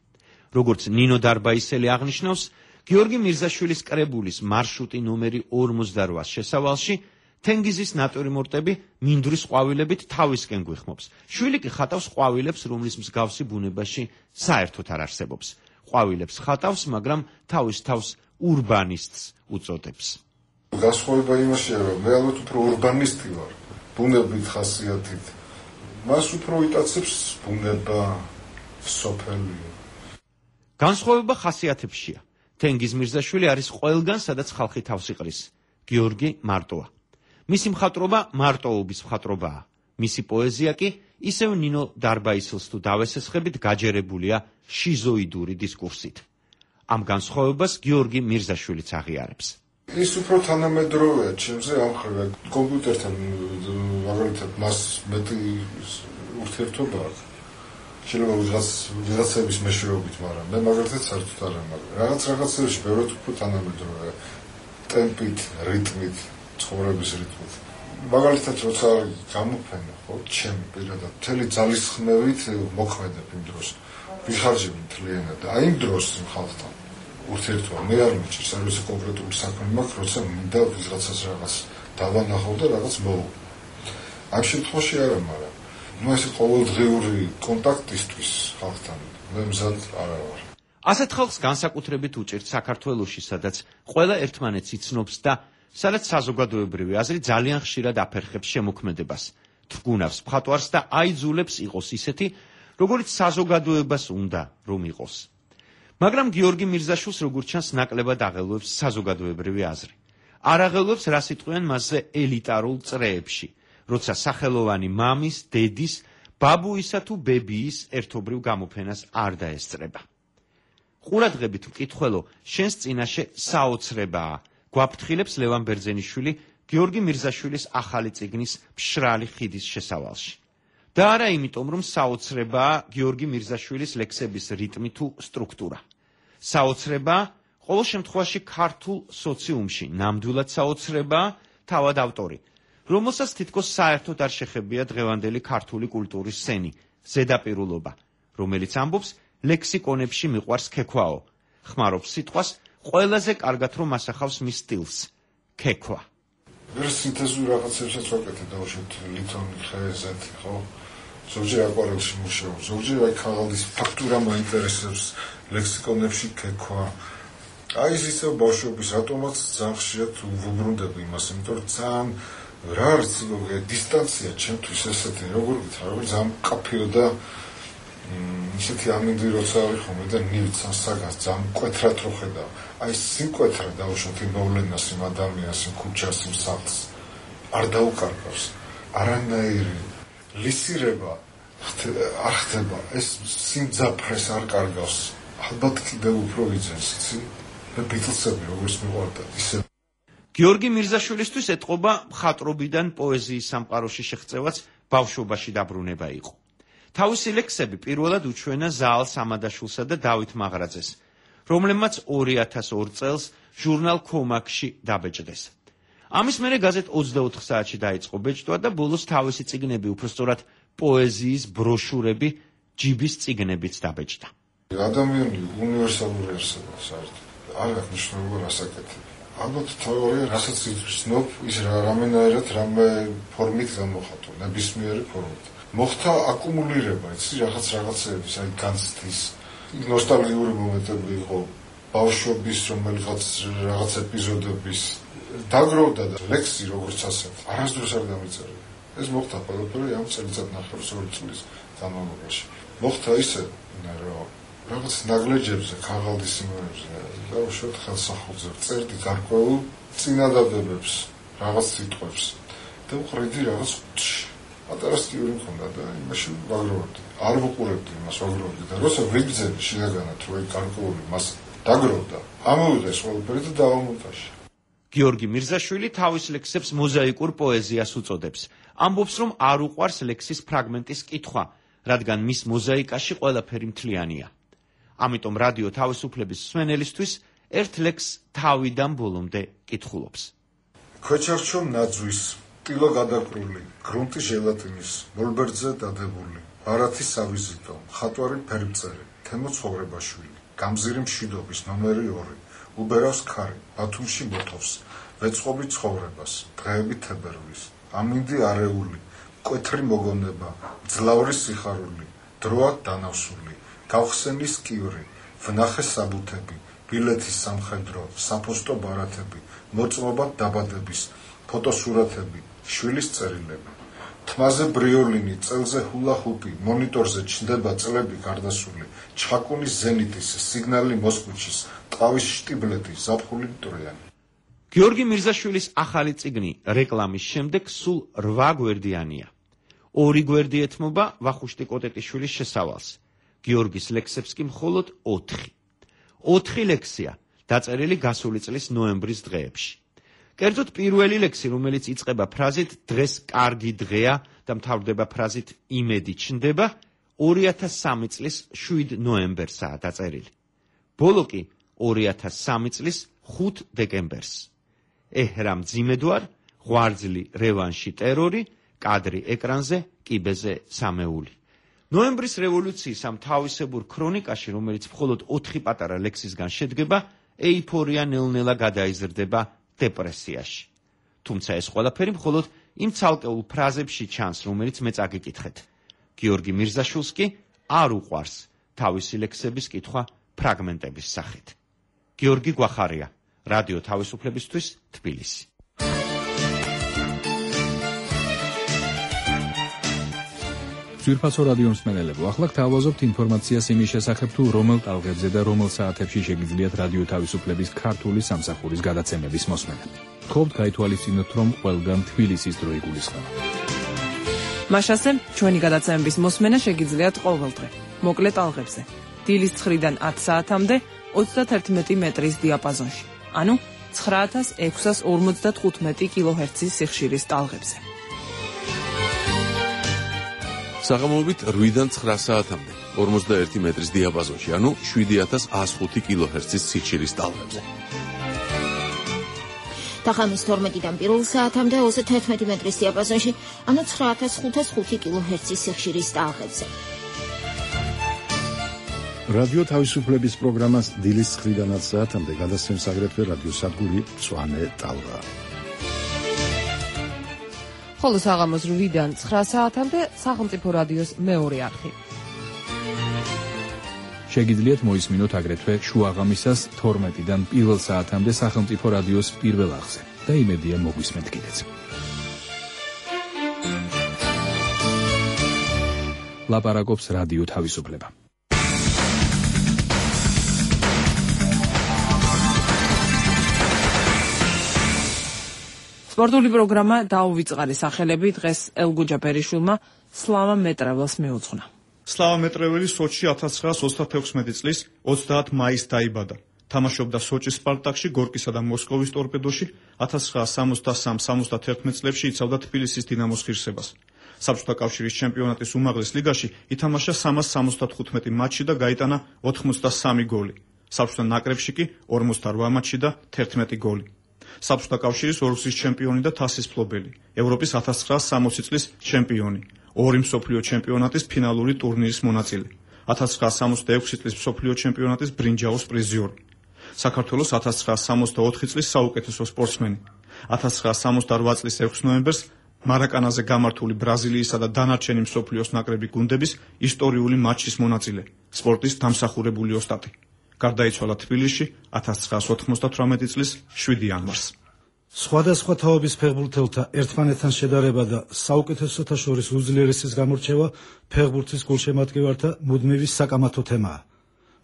როგორც ნინო დარბაისელი აღნიშნავს, გიორგი მირზაშვილის კრებულის მარშრუტი ნომერი 48-ს შესავალში თენგიზის ნატურმორტები მინდვრის ყვავილებით თავისკენ გვიხმობს. შვილი კი ხატავს ყვავილებს, რომლის მსგავსი ბუნებაში საერთოდ არ არსებობს. ყვავილებს ხატავს, მაგრამ თავის თავს ურბანისტს უწოდებს. განსხვავება იმაშია, რომ მე ალბათ უფრო ურბანისტი ვარ, ბუნებით ხასიათით. მას უფრო იტაცებს ბუნება, სოფელი. განსხვავება ხასიათებშია. თენგიზ მირზაშვილი არის ყველგან, სადაც ხალხი თავს იყრის. გიორგი მარტოა. მისი მხატვრობა მარტოობის მხატვრობაა. მისი პოეზია კი ისევ ნინო დარბაისელს თუ დავესესხებით გაჯერებულია შიზოიდური დისკურსით. ამ განსხვავებას გიორგი მირზაშვილიც აღიარებს. ის უფრო თანამედროვეა ჩემზე ამხრივ კომპიუტერთან მაგალითად მას მეტი ურთიერთობა აქვს. შეიძლება ვიღაცების მეშვეობით, მაგრამ მე მაგალითად საერთოდ არ ამაყ. რაღაცებში ბევრად უფრო თანამედროვეა ტემპით, რიტმით, ცხოვრების რიტმით. მაგალითად როცა გამოფენა, ხო, ჩემი პირადად მთელი ძალისხმევით მოქმედებ იმ დროს. ვიხარჯებ მთლიანად და აი იმ დროს ხალხთან ურთიერთობა მე არ მიჭირს, არ ვიცი კონკრეტული საქმე მაქვს, როცა მინდა ვიღაცას რაღაც დავანახო და რაღაც მოვა. ამ შემთხვევაში არა, მაგრამ ნუ ესე ყოველდღიური კონტაქტისთვის ხალხთან მე მზად არ ვარ. ასეთ ხალხს განსაკუთრებით უჭირთ საქართველოში, სადაც ყველა ერთმანეთს იცნობს და სადაც საზოგადოებრივი აზრი ძალიან ხშირად აფერხებს შემოქმედებას, თრგუნავს მხატვარს და აიძულებს იყოს ისეთი, როგორც საზოგადოებას უნდა რომ იყოს. მაგრამ გიორგი მირზაშვილს როგორც ჩანს ნაკლებად აღელვებს საზოგადოებრივი აზრი. არ აღელვებს, რას იტყვიან მასზე ელიტარულ წრეებში, როცა სახელოვანი მამის, დედის, ბაბუისა თუ ბებიის ერთობრივ გამოფენას არ დაესწრება. ყურადღებით მკითხველო, შენს წინაშე საოცრებაა, გვაფრთხილებს ლევან ბერძენიშვილი გიორგი მირზაშვილის ახალი წიგნის მშრალი ხიდის შესავალში. და არა იმიტომ, რომ საოცრებაა გიორგი მირზაშვილის ლექსების რიტმი თუ სტრუქტურა. საოცრებაა ყოველ შემთხვევაში ქართულ სოციუმში, ნამდვილად საოცრებაა თავად ავტორი, რომელსაც თითქოს საერთოდ არ შეხებია დღევანდელი ქართული კულტურის სცენი, ზედაპირულობა, რომელიც ამბობს ლექსიკონებში მიყვარს ქექვაო, ხმარობს სიტყვას, ყველაზე კარგად რომ ასახავს მის სტილს, ქექვა. ვერ სინთეზური რაღაცებსაც ვაკეთებ, დავუშვით ლითონი, ხე, ზეთი, ხო? ზოგჯერ აკვარელში მუშაობს, ზოგჯერ აი ქაღალდის ფაქტურა მაინტერესებს, ლექსიკონებში ქექვა. აი ეს ისე ბავშვობის ატომაც ძალიან ხშირად ვუბრუნდები იმას, იმიტომ რომ ძალიან რა არის დისტანცია ჩემთვის ესეთი როგორ ძალიან მკაფიო და ისეთი ამინდი როცა არის ხოლმე და ნივთს საგას ძალიან მკვეთრად რო ხედავ. აი სიმკვეთრე დავუშვათ იმ მოვლენას, იმ ადამიანს, იმ ქუჩას, იმ სახლს არ დაუკარგავს. არანაირი ლისირება არ ხდება. ეს სიმძაფრეს არ კარგავს. ალბათ კიდევ უფრო იძენს, იცი? და ბიტლსები როგორც მიყვარდა, ისე გიორგი მირზაშვილისთვის ეთყობა მხატვრობიდან პოეზიის სამყაროში შეღწევაც ბავშვობაში დაბრუნება იყო. თავისი ლექსები პირველად უჩვენა ზაალ სამადაშვილსა და დავით მაღრაძეს, რომლებმაც 2002 წელს ჟურნალ ქომაქში დაბეჭდეს. ამის მერე გაზეთ 24 საათში დაიწყო ბეჭდვა და ბოლოს თავისი წიგნები, უბრალოდ პოეზიის ბროშურები ჯიბის წიგნებიც დაბეჭდა. ადამიანი უნივერსალური არსება საერთოდ არ აქვს მნიშვნელობა რასაკეთებ. ალბათ თეორია რასაც იცნობ, ის რამენაირად რამე ფორმით გამოხატვა, ნებისმიერი ფორმით. მოხდა აკუმულირება, იცი, რაღაცების, აი განცდის, ნოსტალგიური მომენტები იყო, ბავშვობის რაღაც ეპიზოდების დაგროვდა და ლექსი როგორც ასეთ, არასდროს არ დამიწერა. ეს მოხდა ყველაფერი ამ წელიწადნახევრის 2 წლის განმავლობაში. მოხდა ისე, რომ რაღაც ნაგლეჯებზე, ქაღალდის სიმღერებზე, დაუშვათ ხელსაყრელზე წერდი გარკვეულ წინადადებებს, რაღაც სიტყვებს და ვყრიდი რაღაც ხუთში. პატარა სტიური მქონდა და იმაში ვაგროვებდი. არ ვუყურებდი იმას, ვაგროვებდი და როცა ვიგრძელი შინაგანად, რომ გარკვეული მას დაგროვდა, ამოვიდა ეს ყველაფერი და დავამონტაჟე. გიორგი მირზაშვილი თავის ლექსებს მოზაიკურ პოეზიას უწოდებს. ამბობს, რომ არ უყვარს ლექსის ფრაგმენტის კითხვა, რადგან მის მოზაიკაში ყველაფერი მთლიანია. ამიტომ რადიო თავისუფლების მსმენელისთვის ერთ ლექსს თავიდან ბოლომდე კითხულობს. ქვეჩარჩო ნაძვის, ტილო გადაკრული, გრუნტი ჟელატინის, მოლბერძე დადებული, ბარათი სავიზიტო, ხატვარი ფერმწერი, თემო ცხოვრებაშვილი, გამზირი მშვიდობის ნომერი 2, უბერავს ქარი, ბათუმში მოთოვს, ვეწყობი ცხოვრებას, დღეები თებერვლის, ამინდი არეული, მკვეთრი მოგონება, მძლავრი სიხარული, დროა დანავსული, გავხსენის კივრი, ვნახე საბუთები, ბილეთის სამხედრო, საფოსტო ბარათები, მოწმობა დაბადების, ფოტოსურათები, შვილის წერილები. თმაზე ბრიოლინი, წელზე ჰულა-ჰუპი, მონიტორზე ჩნდება წლები გარდასული, ჩხაკუნის ზენიტის, სიგნალი მოსკუჩის, ტყავის შტიბლეთი, ზაფხული მტრიანი. გიორგი მირზაშვილის ახალი წიგნი რეკლამის შემდეგ სულ 8 გვერდიანია. 2 გვერდი ეთმობა ვახუშტი კოტეტიშვილის შესავალს. გიორგის ლექსებს კი მხოლოდ 4. 4 ლექსია, დაწერილი გასული წლის ნოემბრის დღეებში. კერძოდ პირველი ლექსი, რომელიც იწყება ფრაზით დღეს კარგი დღეა და მთავრდება ფრაზით იმედი ჩნდება, 2003 წლის 7 ნოემბერსაა დაწერილი. ბოლო კი 2003 წლის 5 დეკემბერს. ეჰრამ ძიმედვარ, ღვარძლი რევანში ტერორი, კადრი ეკრანზე, კიბეზე სამეული. ნოემბრის რევოლუციის ამ თავისებურ ქრონიკაში, რომელიც მხოლოდ 4 პატარა ლექსისგან შედგება, ეიფორია ნელ-ნელა გადაიზრდება დეპრესიაში. თუმცა ეს ყველაფერი მხოლოდ იმ ცალკეულ ფრაზებში ჩანს, რომელიც მე წაგიკითხეთ. გიორგი მირზაშვილს კი არ უყვარს თავისი ლექსების კითხვა ფრაგმენტების სახით. გიორგი გვახარია, რადიო თავისუფლებისთვის, თბილისი. ძვირფასო რადიო მსმენელებო, ახლა გთავაზობთ ინფორმაციას იმის შესახებ, თუ რომელ ტალღებზე და რომელ საათებში შეგიძლიათ რადიო თავისუფლების ქართული სამსახურის გადაცემების მოსმენა. გთხოვთ გაითვალისწინოთ, რომ ყველგან თბილისის დრო იგულისხმება. მაშასე, ჩვენი გადაცემების მოსმენა შეგიძლიათ ყოველდღე, მოკლე ტალღებზე, დილის 9-დან 10 საათამდე 31 მეტრის დიაპაზონში, ანუ 9655 კილოჰერცის სიხშირის ტალღებზე. საღამოობით 8-დან 9 საათამდე 51 მეტრის დიაპაზონში, ანუ 7105 კილოჰერცის სიხშირის ტალღებზე. თახამის 12-დან 1 საათამდე 31 მეტრის დიაპაზონში, ანუ 9505 კილოჰერცის სიხშირის ტალღებზე. რადიო თავისუფლების პროგრამას დილის 9-დან 10 საათამდე გადასცემს აგრეთვე რადიოსადგური მწვანე ტალღა. ხოლო საღამოს 8-დან 9 საათამდე სახელმწიფო რადიოს მეორე არხი. შეგიძლიათ მოისმინოთ აგრეთვე შუაღამისას 12-დან 1 საათამდე სახელმწიფო რადიოს პირველ არხზე და იმედია მოგვისმენთ კიდეც. ლაპარაკობს რადიო თავისუფლება. სპორტული პროგრამა დაუვიწყარი სახელები დღეს ელგუჯა პერიშვილმა სლავა მეტრეველს მიუძღვნა. სლავა მეტრეველი სოჩში 1936 წლის 30 მაისს დაიბადა. თამაშობდა სოჩის სპარტაკში, გორკისა და მოსკოვის ტორპედოში, 1963-71 წლებში იცავდა თბილისის დინამოს ღირსებას. საბჭოთა კავშირის ჩემპიონატის უმაღლეს ლიგაში ითამაშა 375 მატჩში და გაიტანა 83 გოლი. საბჭოთა ნაკრებში კი 48 მატჩში და 11 გოლი. საბჭოთა კავშირის ორგზის ჩემპიონი და თასის მფლობელი, ევროპის 1960 წლის ჩემპიონი, 2 მსოფლიო ჩემპიონატის ფინალური ტურნირის მონაწილე, 1966 წლის მსოფლიო ჩემპიონატის ბრინჯაოს პრიზიორი, საქართველოს 1964 წლის საუკეთესო სპორტსმენი, 1968 წლის 6 ნოემბერს მარაკანაზე გამართული ბრაზილიისა და დანარჩენი მსოფლიოს ნაკრები გუნდების ისტორიული მატჩის მონაწილე, სპორტის დამსახურებული ოსტატი. გარდაიცვალა თბილისში 1998 წლის 7 იანვარს. სხვადასხვა თაობის ფეხბურთელთა ერთმანეთთან შედარება და საუკეთესოთა შორის უძლიერესის გამორჩევა ფეხბურთის გულშემატკივართა მუდმივი საკამათო თემაა.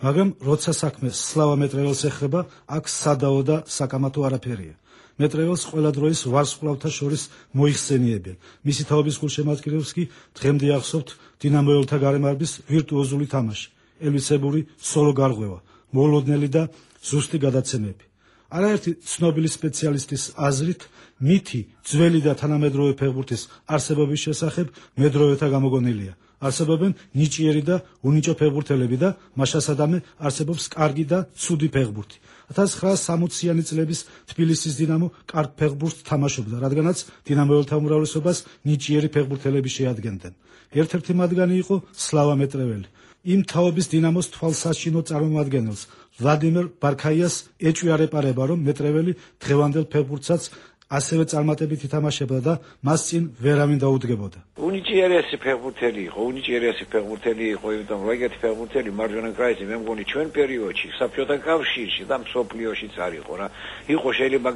მაგრამ როცა საქმე სლავა მეტრეველს ეხება, აქ სადაო და საკამათო არაფერია. მეტრეველს ყველა დროის ვარსკვლავთა შორის მოიხსენიებენ. მისი თაობის გულშემატკივრებს კი დღემდე ახსოვთ დინამოელთა გარემარბის ვირტუოზული თამაში, ელვისებური სოლო გარღვევა, მოლოდნელი და ზუსტი გადაცემები. არაერთი ცნობილი სპეციალისტის აზრით, მითი ძველი და თანამედროვე ფეხბურთის არსებობის შესახებ მედროვეთა გამოგონილია. არსებობენ ნიჭიერი და უნიჭო ფეხბურთელები და მაშასადამე არსებობს კარგი და ცუდი ფეხბურთი. 1960-იანი წლების თბილისის დინამო კარგ ფეხბურთს თამაშობდა, რადგანაც დინამოელთა უმრავლესობას ნიჭიერი ფეხბურთელები შეადგენდნენ. ერთ-ერთი მათგანი იყო სლავა მეტრეველი. იმ თაობის დინამოს თვალსაჩინო წარმომადგენელს ვლადიმერ ბარქაიას ეჭვიარეპარება, რომ მეტრეველი დღევანდელ ფეხბურთსაც ასევე წარმატებით ითამაშებდა და მას წინ ვერავინ დაუდგებოდა. უნიჭიერესი ფეხბურთელი იყო, იმიტომ რომ ეგეთი ფეხბურთელი მარჯვენა კრაისი მე მგონი ჩვენ პერიოდში საბჭოთა კავშირში და მსოფლიოშიც არ იყო რა. იყო შეიძლება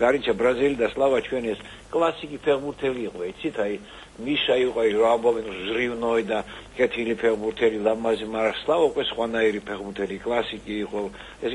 გარინჩა ბრაზილი და სლავა ჩვენ ეს კლასიკი ფეხბურთელი იყო, იცით, აი მიშა იყო რა ამბობენ ზრივნოი და კეთილი ფეხბურთელი ლამაზი, მაგრამ სლავა უკვე სხვანაირი ფეხბურთელი კლასიკი იყო. ეს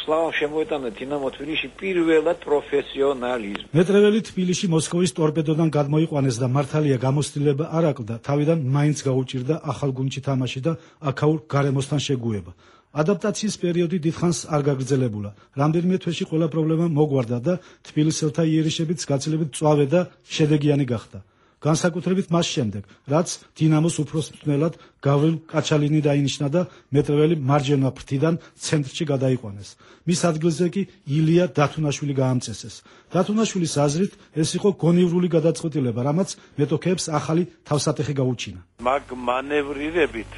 სლავა შემოეტანა დინამო თბილისში პირველად პროფესიონალიზმი. მეტრეველი თბილისში მოსკოვის ტორპედოდან გადმოიყვანეს და მართალია გამოცდილება არ აკლდა, თავიდან მაინც გაუჭირდა ახალ გუნდში თამაში და აქაურ გარემოსთან შეგუება. ადაპტაციის პერიოდი დიდხანს არ გაგრძელებულა. რამდენიმე თვეში ყველა პრობლემა მოგვარდა და თბილისელთა იერიშებიც გაცილებით მწვავე და შედეგიანი გახდა. განსაკუთრებით მას შემდეგ, რაც დინამოს უფროსმწვრთნელად გავრილ კაჩალინი დაინიშნა და მეტრეველი მარჯვენა ფრთიდან ცენტრში გადაიყვანეს. მის ადგილზე კი ილია დათუნაშვილი გაამწესეს. დათუნაშვილის აზრით, ეს იყო გონივრული გადაწყვეტილება, რამაც მეტოქეებს ახალი თავსატეხი გაუჩინა. მაგ მანევრირებით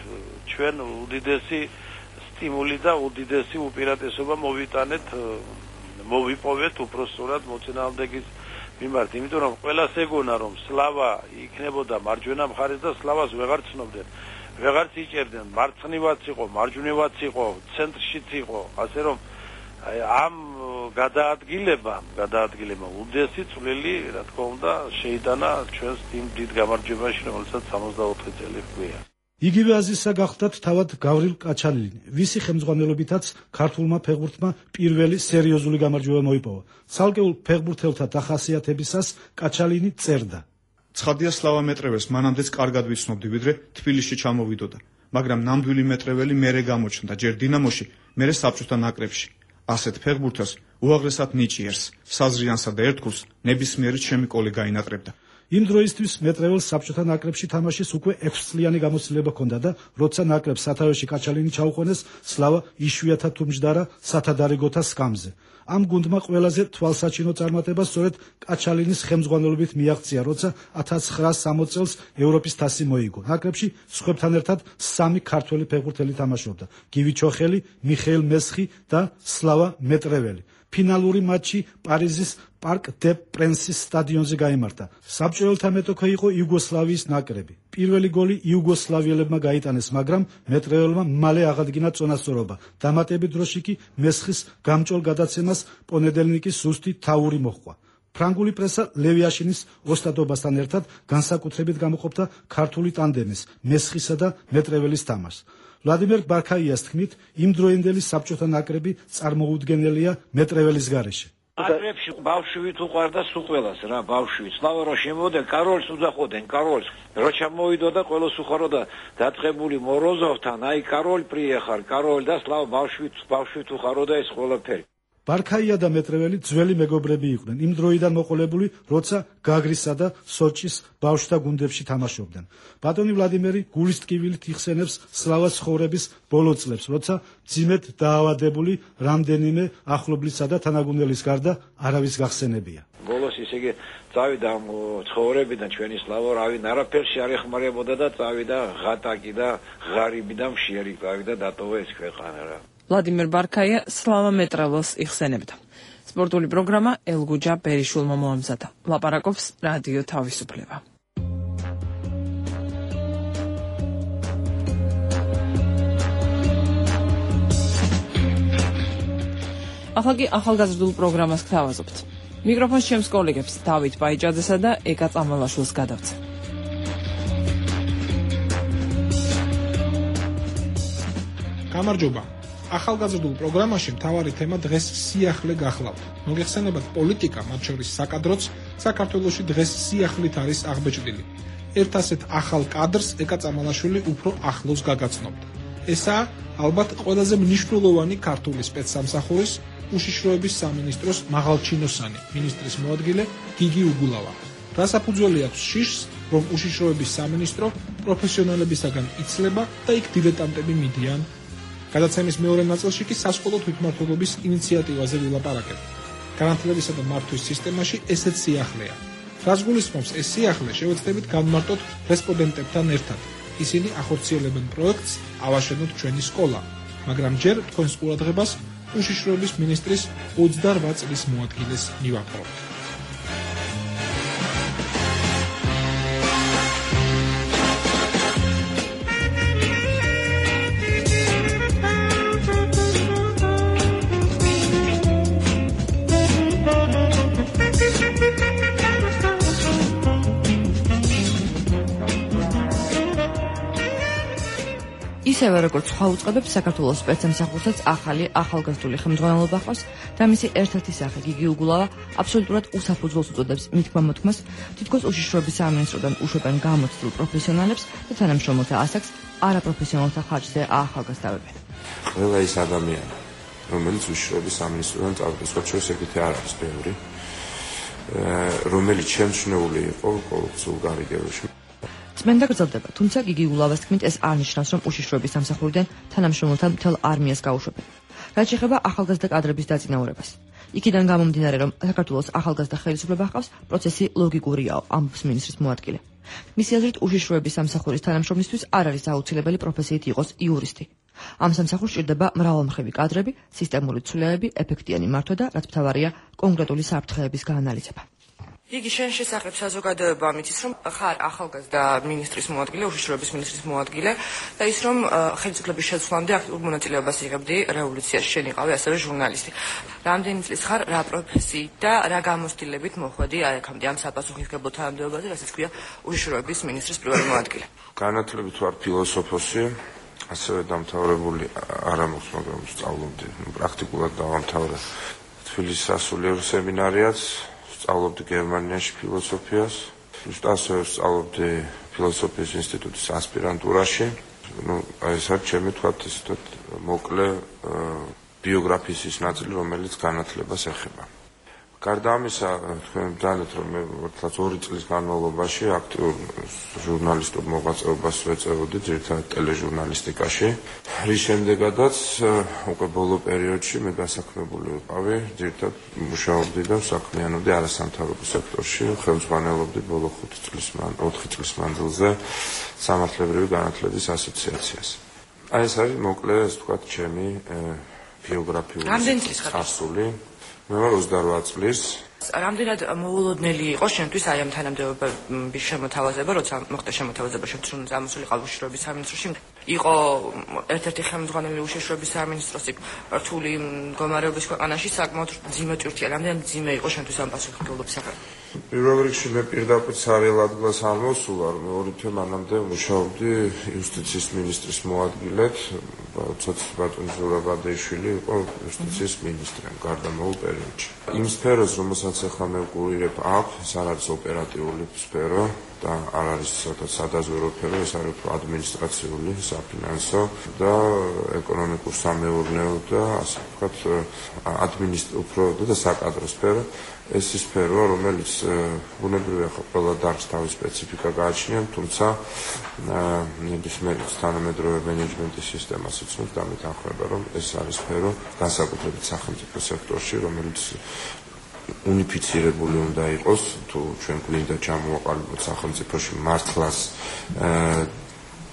ჩვენ უდიდესი სტიმული და უდიდესი უპირატესობა მოვიპოვეთ უпроსტურად მოწინააღმდეგის მიმართ, იმიტომ რომ ყველას ეგონა რომ სლავა იქნებოდა მარჯვენა მხარეს და სლავას ვეღარ ცნობდნენ. ვეღარც იჭერდნენ, მარცხნივაც იყო, მარჯვნივაც იყო, ცენტრშიც იყო, ასე რომ ამ გადაადგილებამ უდიდესი წვლილი, რა თქმა უნდა, შეიტანა ჩვენს იმ დიდ გამარჯვებაში, რომელსაც 64 წელი ჰქვია. იგივე აზრისა გახდათ თავად გავრილ კაჩალინი, ვისი ხელმძღვანელობითაც ქართულმა ფეხბურთმა პირველი სერიოზული გამარჯვება მოიპოვა. ცალკეულ ფეხბურთელთა დახასიათებისას კაჩალინი წერდა: ცხადია სლავა მეტრეველს მანამდეც კარგად ვიცნობდი, ვიდრე თბილისში ჩამოვიდოდა, მაგრამ ნამდვილი მეტრეველი მერე გამოჩნდა ჯერ დინამოში, მერე საბჭოთა ნაკრებში. ასეთ ფეხბურთელს უაღრესად ნიჭიერს, საზრიანსა და ერთგულს ნებისმიერი ჩემი კოლეგა ინატრებდა. იმ დროისთვის მეტრეველს საბჭოთა ნაკრებში თამაშის უკვე 6 წლიანი გამოცდილება ჰქონდა და როცა ნაკრებს სათავეში კაჩალინი ჩაუყვანეს, სლავა იშვიათად თუ მჯდარა სათადარიგოთა სკამზე. ამ გუნდმა ყველაზე თვალსაჩინო წარმატება სწორედ კაჩალინის ხელმძღვანელობით მიაღწია, როცა 1960 წელს ევროპის თასი მოიგო. ნაკრებში სხვებთან ერთად 3 ქართველი ფეხბურთელი თამაშობდა: გივი ჩოხელი, მიხეილ მესხი და სლავა მეტრეველი. ფინალური მატჩი პარიზის პარკ დე პრენსის სტადიონზე გაიმართა. საბჭოელთა მეტოქე იყო იუგოსლავიის ნაკრები. პირველი გოლი იუგოსლავიელებმა გაიტანეს, მაგრამ მეტრეველმა მალე აღადგინა წონასწორობა. დამატებით დროში კი მესხის გამჭოლ გადაცემას პონედელნიკის ზუსტი თავური მოჰყვა. ფრანგული პრესა ლევიაშინის ოსტატობასთან ერთად განსაკუთრებით გამოყოფდა ქართული ტანდემის, მესხისა და მეტრეველის თამაშს. ვლადიმერ ბარქაიას თქმით, იმდროინდელი საბჭოთა ნაკრები წარმოუდგენელია მეტრეველის გარეშე. ნაკრებში ბავშვით უყვარდა სულ ყველას რა, ბავშვით. სლავა რო შემოვიდა, კაროლს უძახოდნენ, კაროლს. რო ჩამოვიდა და ყველას უხაროდა დაწყებული მოროზოვთან, აი კაროლ პრიეხარ, კაროლ და სლავა ბავშვით უხაროდა ეს ყველაფერი. ბარქაია და მეტრეველი ძველი მეგობრები იყვნენ, იმ დროიდან მოყოლებული, როცა გაგრისა და სოჭის ბავშვთა გუნდებში თამაშობდნენ. ბატონი ვლადიმერი გულის ტკივილით იხსენებს სლავას ცხოვრების ბოლო წლებს, როცა ძიმედ დაავადებული რამდენიმე ახლობლისა და თანაგუნდელის გარდა არავის გახსენებია. ბოლოს ისე იგი წავიდა ცხოვრებიდან ჩვენი სლავა, რავინ არაფერში არ ეხმარებოდა და წავიდა ღატაკი და ღარიბი და მშიერი წავიდა დატოვა ეს ქვეყანა რა. ვლადიმერ ბარქაია სლავა მეტრეველს იხსენებდა. სპორტული პროგრამა ელგუჯა ბერიშულმა მოამზადა. ლაპარაკობს რადიო თავისუფლება. ახლა კი ახალგაზრდულ პროგრამას გთავაზობთ. მიკროფონს ჩემს კოლეგებს დავით ბაიჭაძესა და ეკა წამალაშვილს გადავცე. გამარჯობა. ახალგაზრდულ პროგრამაში მთავარი თემა დღეს სიახლე გახლავთ. მოგეხსენებათ პოლიტიკა, მათ შორის საკადროც, საქართველოში დღეს სიახლით არის აღბეჭდილი. ერთ ასეთ ახალ კადრს ეკა წამალაშვილი უფრო ახლოს გაგაცნობთ. ესაა ალბათ ყველაზე მნიშვნელოვანი ქართული სპეცსამსახურის უშიშროების სამინისტროს მაღალჩინოსანი, მინისტრის მოადგილე გიგი უგულავა. რასაფუძველი აქვს შიშს, რომ უშიშროების სამინისტრო პროფესიონალებისაგან იცლება და იქ დილეტანტები მიდიან. გადაცემის მეორე ნაწილში კი სასკოლო თვითმმართველობის ინიციატივაზე ვილაპარაკებთ. განათლებისა და მართვის სისტემაში ესეც სიახლეა. რაც გულისხმობს ეს სიახლე, შევეცდებით განმარტოთ რესპონდენტებთან ერთად. ისინი ახორციელებენ პროექტს ავაშენოთ ჩვენი სკოლა, მაგრამ ჯერ თქვენს ყურადღებას უშიშროების მინისტრის 28 წლის მოადგილეს მივაპყრობთ. ისევე როგორც სხვა უწყებებს, საქართველოს სპეცსამსახურსაც ახალი ახალგაზრდული ხელმძღვანელობა ჰყავს და მისი ერთ-ერთი სახე გიგი უგულავა აბსოლუტურად უსაფუძველს უწოდებს მითქმა-მოთქმას, თითქოს უშიშროების სამინისტროდან უშვებენ გამოცდილ პროფესიონალებს და თანამშრომელთა ასაკს არაპროფესიონალთა ხარჯზე აახალგაზრდავებენ. ყველა ის ადამიანი, რომელიც უშიშროების სამინისტროდან წავიდა, სხვა შორის ეგეთი არ არის ბევრი, რომელიც შემჩნეული იყო კორუფციულ გარიგებაში. წმენდა გრძელდება, თუმცა გიგი უგულავას თქმით ეს არ ნიშნავს, რომ უშიშროების სამსახურიდან თანამშრომელთა მთელ არმიას გაუშვებენ. რაც შეეხება ახალგაზრდა კადრების დაწინაურებას. იქიდან გამომდინარე, რომ საქართველოს ახალგაზრდა ხელისუფლება ჰყავს, პროცესი ლოგიკურიაო, ამბობს მინისტრის მოადგილე. მისი აზრით, უშიშროების სამსახურის თანამშრომლისთვის არ არის აუცილებელი პროფესიით იყოს იურისტი. ამ სამსახურს ჭირდება მრავალმხრივი კადრები, სისტემური ცვლილებები, ეფექტიანი მართვა და რაც მთავარია, კონკრეტული საფრთხეების გაანალიზება. იგი შენ შესახებ საზოგადოება მითის, რომ ხარ ახალგაზრდა მინისტრის მოადგილე, უშიშროების მინისტრის მოადგილე და ის რომ ხელისუფლების შეცვლამდე აქტიურ მონაწილეობას იღებდი რევოლუციაში, შენ იყავი ასევე ჟურნალისტი. რამდენი წლის ხარ, რა პროფესიით და რა გამოცდილებით მოხვედი აქამდე ამ საპასუხისმგებლო თანამდებობაზე, რასაც ქვია უშიშროების მინისტრის პირველი მოადგილე. განათლებით ვარ ფილოსოფოსი, ასევე დამთავრებული არ მაქვს, მაგრამ სწავლობდი, პრაქტიკულად დავამთავრე თბილისის სასულიერო სემინარიაც. სწავლობდი გერმანიაში ფილოსოფიას, ასევე სწავლობდი ფილოსოფიის ინსტიტუტის ასპირანტურაში. ეს არის ჩემი თქვათ მოკლე ბიოგრაფიის ის ნაწილი, რომელიც განათლებას ეხება. გარდა ამისა, თქვენ დანეთ რომ მე 2 წლის განმავლობაში აქტიურ ჟურნალისტურ მოღვაწეობას ვეწეოდი, ძირითადად ტელეჟურნალისტიკაში, რის შემდეგაც უკვე ბოლო პერიოდში მე დასაქმებული ვიყავი, ძირითადად მუშაობდი და საქმიანობდი არასამთავრობო სექტორში, ხელმძღვანელობდი ბოლო 4 წლის მანძილზე სამართლებრივი განათლების ასოციაციას. აი ეს არის მოკლე, ასე ვთქვათ, ჩემი ბიოგრაფიული წარსული. მე ვარ 28 წლის. რამდენად მოულოდნელი იყო შენთვის აი ამ თანამდებობის შემოთავაზება, როცა მოხდა შემოთავაზება შენთვის, რომ წამოსულიყავ უშიშროების სამინისტროში, იყო ერთ-ერთი ხელმძღვანელი უშიშროების სამინისტროს რთული მდგომარეობის ქვეყანაში საკმაოდ მძიმე ტვირთია. რამდენად მძიმე იყო შენთვის ამ პასუხისმგებლობის საქმე? პირველ რიგში მე პირდაპირ ცარიელ ადგილას არ მოსულა, რომ მეორე თვე მანამდე მუშაობდი იუსტიციის მინისტრის მოადგილედ, როდესაც ბატონი ზურაბ ადეიშვილი იყო იუსტიციის მინისტრი გარდამავალ პერიოდში. იმ სფეროს, რომელსაც ახლა მე ვკურირებ, ეს არ არის ოპერატიული სფერო და არ არის სადაზვერო სფერო, ეს არის ადმინისტრაციული, საფინანსო და ეკონომიკურ-სამეურნეო და ასე ვთქვათ ადმინისტრაციული და საკადრო სფერო. ეს ის სფეროა, რომელიც ბუნებრივია ხო ყველა დარგს თავის სპეციფიკა გააჩნია, თუმცა ნებისმიერ თანამედროვე მენეჯმენტის სისტემას იცნობს და მეთანხმება, რომ ეს არის სფერო განსაკუთრებით სახელმწიფო სექტორში, რომელიც უნიფიცირებული უნდა იყოს, თუ ჩვენ გვინდა ჩამოვაყალიბოთ სახელმწიფოში მართლაც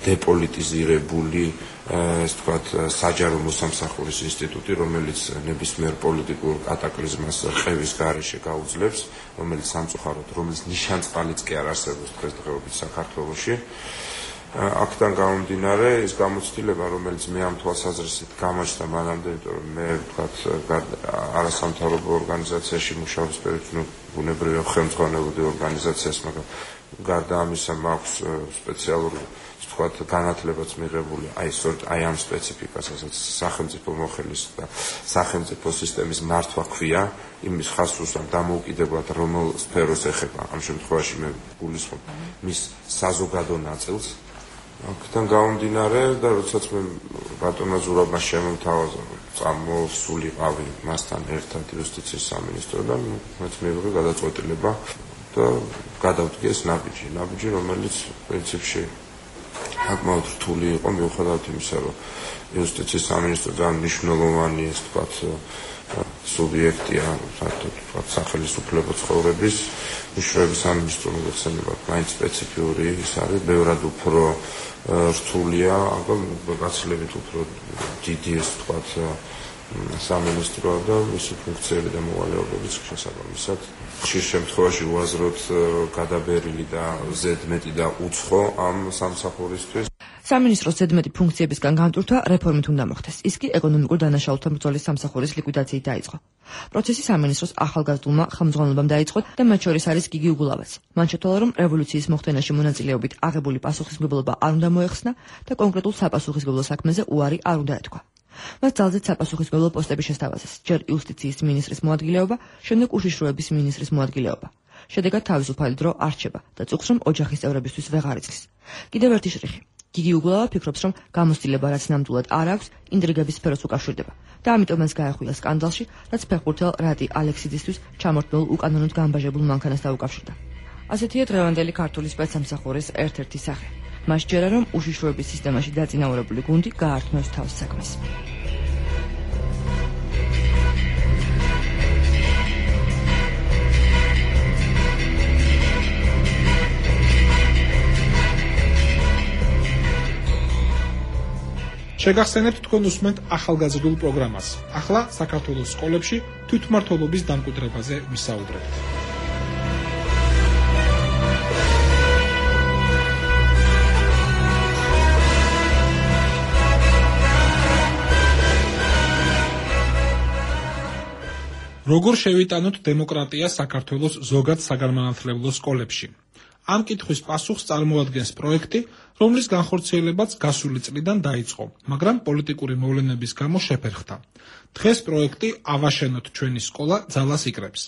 დეპოლიტიზირებული, ასე ვთქვათ, საჯარო მოსამსახურის ინსტიტუტი, რომელიც ნებისმიერ პოლიტიკურ კატაკლიზმას ყევის გარეშე გაუძლებს, რომელიც სამწუხაროდ, რომელიც ნიშანწყალიც კი არ არსებობს დღესდღეობით საქართველოში. აქედან გამომდინარე, ის გამოცდილება, რომელიც მე ამ თვალსაზრისით გამოჩნდა მანამდე, იმიტომ რომ მე ვთქვათ, არასამთავრობო ორგანიზაციაში მუშაობის პერიოდში ბუნებრივია ხელმძღვანელობდი ორგანიზაციას, მაგრამ გარდა ამისა მაქვს სპეციალური ვთქვათ, განათლებაც მიღებული, აი ამ სპეციფიკასაც სახელმწიფო მოხელის და სახელმწიფო სისტემის მართვა ქვია, იმის ხასრუს ამ დამოუკიდებლად რომელ სფეროს ეხება. ამ შემთხვევაში მე გულისხმობ მის საზოგადო ნაწილს. აქედან გამომდინარე და როდესაც მე ბატონმა ზურაბმა შემოთავაზა, წამოსულიყავი მასთან ერთად იუსტიციის სამინისტროდან, მეც მივიღე გადაწყვეტილება და გადავდგე ეს ნაბიჯი, რომელიც პრინციპში საკმაოდ რთული იყო, მიუხედავად იმისა, რომ იუსტიციის სამინისტრო ძალიან მნიშვნელოვანი, ასე ვთქვათ, სუბიექტია, ვთქვათ, სახელმწიფო ცხოვრების უშუალოდ სამინისტრო მოგეხსენებათ, მაინც სპეციფიური ის არის, ბევრად უფრო რთულია, აბა გაცილებით უფრო დიდი, ასე ვთქვათ, სამინისტროა და მისი ფუნქციები და მოვალეობებიც შესაბამისად ხშირ შემთხვევაში უაზროდ გადაბერილი და ზედმეტი და უცხო ამ სამსახურისთვის. სამინისტროს ზედმეტი ფუნქციებისგან განტვირთვა რეფორმით უნდა მოხდეს. ის კი ეკონომიკურ დანაშაულთა ბრძოლის სამსახურის ლიკვიდაციით დაიწყო. პროცესი სამინისტროს ახალგაზრდულმა ხელმძღვანელობამ დაიწყო და მათ შორის არის გიგი უგულავაც. მან შეცვალა, რომ რევოლუციის მოხდენაში მონაწილეობით აღებული პასუხისმგებლობა არ უნდა მოეხსნა და კონკრეტულ საპასუხისმგებლო საქმეზე უარი არ უნდა ეთქვა. მას ძალზედ საპასუხისმგებლო პოსტები შესთავაზეს, ჯერ იუსტიციის მინისტრის მოადგილეობა, შემდეგ უშიშროების მინისტრის მოადგილეობა. შედეგად თავისუფალი დრო არ რჩება და წუხს, რომ ოჯახის წევრებისთვის ვეღარ იცის. კიდევ ერთი შრიხი. გიგი უგულავა ფიქრობს, რომ გამოცდილება რაც ნამდვილად არ აქვს, ინტრიგების სფეროს უკავშირდება და ამიტომ მას გაახვია სკანდალში, რაც ფეხბურთელ რატი ალექსიძისთვის ჩამორთმეულ უკანონოდ განბაჟებულ მანქანას დაუკავშირდა. ასეთია დღევანდელი ქართული სპეცსამსახურის ერთ-ერთი სახე. მას ჯერა, რომ უშიშროების სისტემაში დაწინაურებული გუნდი გაართმევს თავს საქმეს. შეგახსენებთ თქვენ უსმენთ ახალგაზრდულ პროგრამას. ახლა საქართველოს სკოლებში თვითმმართველობის დამკვიდრებაზე ვისაუბრებთ. როგორ შევიტანოთ დემოკრატია საქართველოს ზოგად საგანმანათლებლო სკოლებში? ამ კითხვის პასუხს წარმოადგენს პროექტი, რომლის განხორციელებაც გასული წლიდან დაიწყო, მაგრამ პოლიტიკური მოვლენების გამო შეფერხდა. დღეს პროექტი „ავაშენოთ ჩვენი სკოლა“ ძალას იკრებს.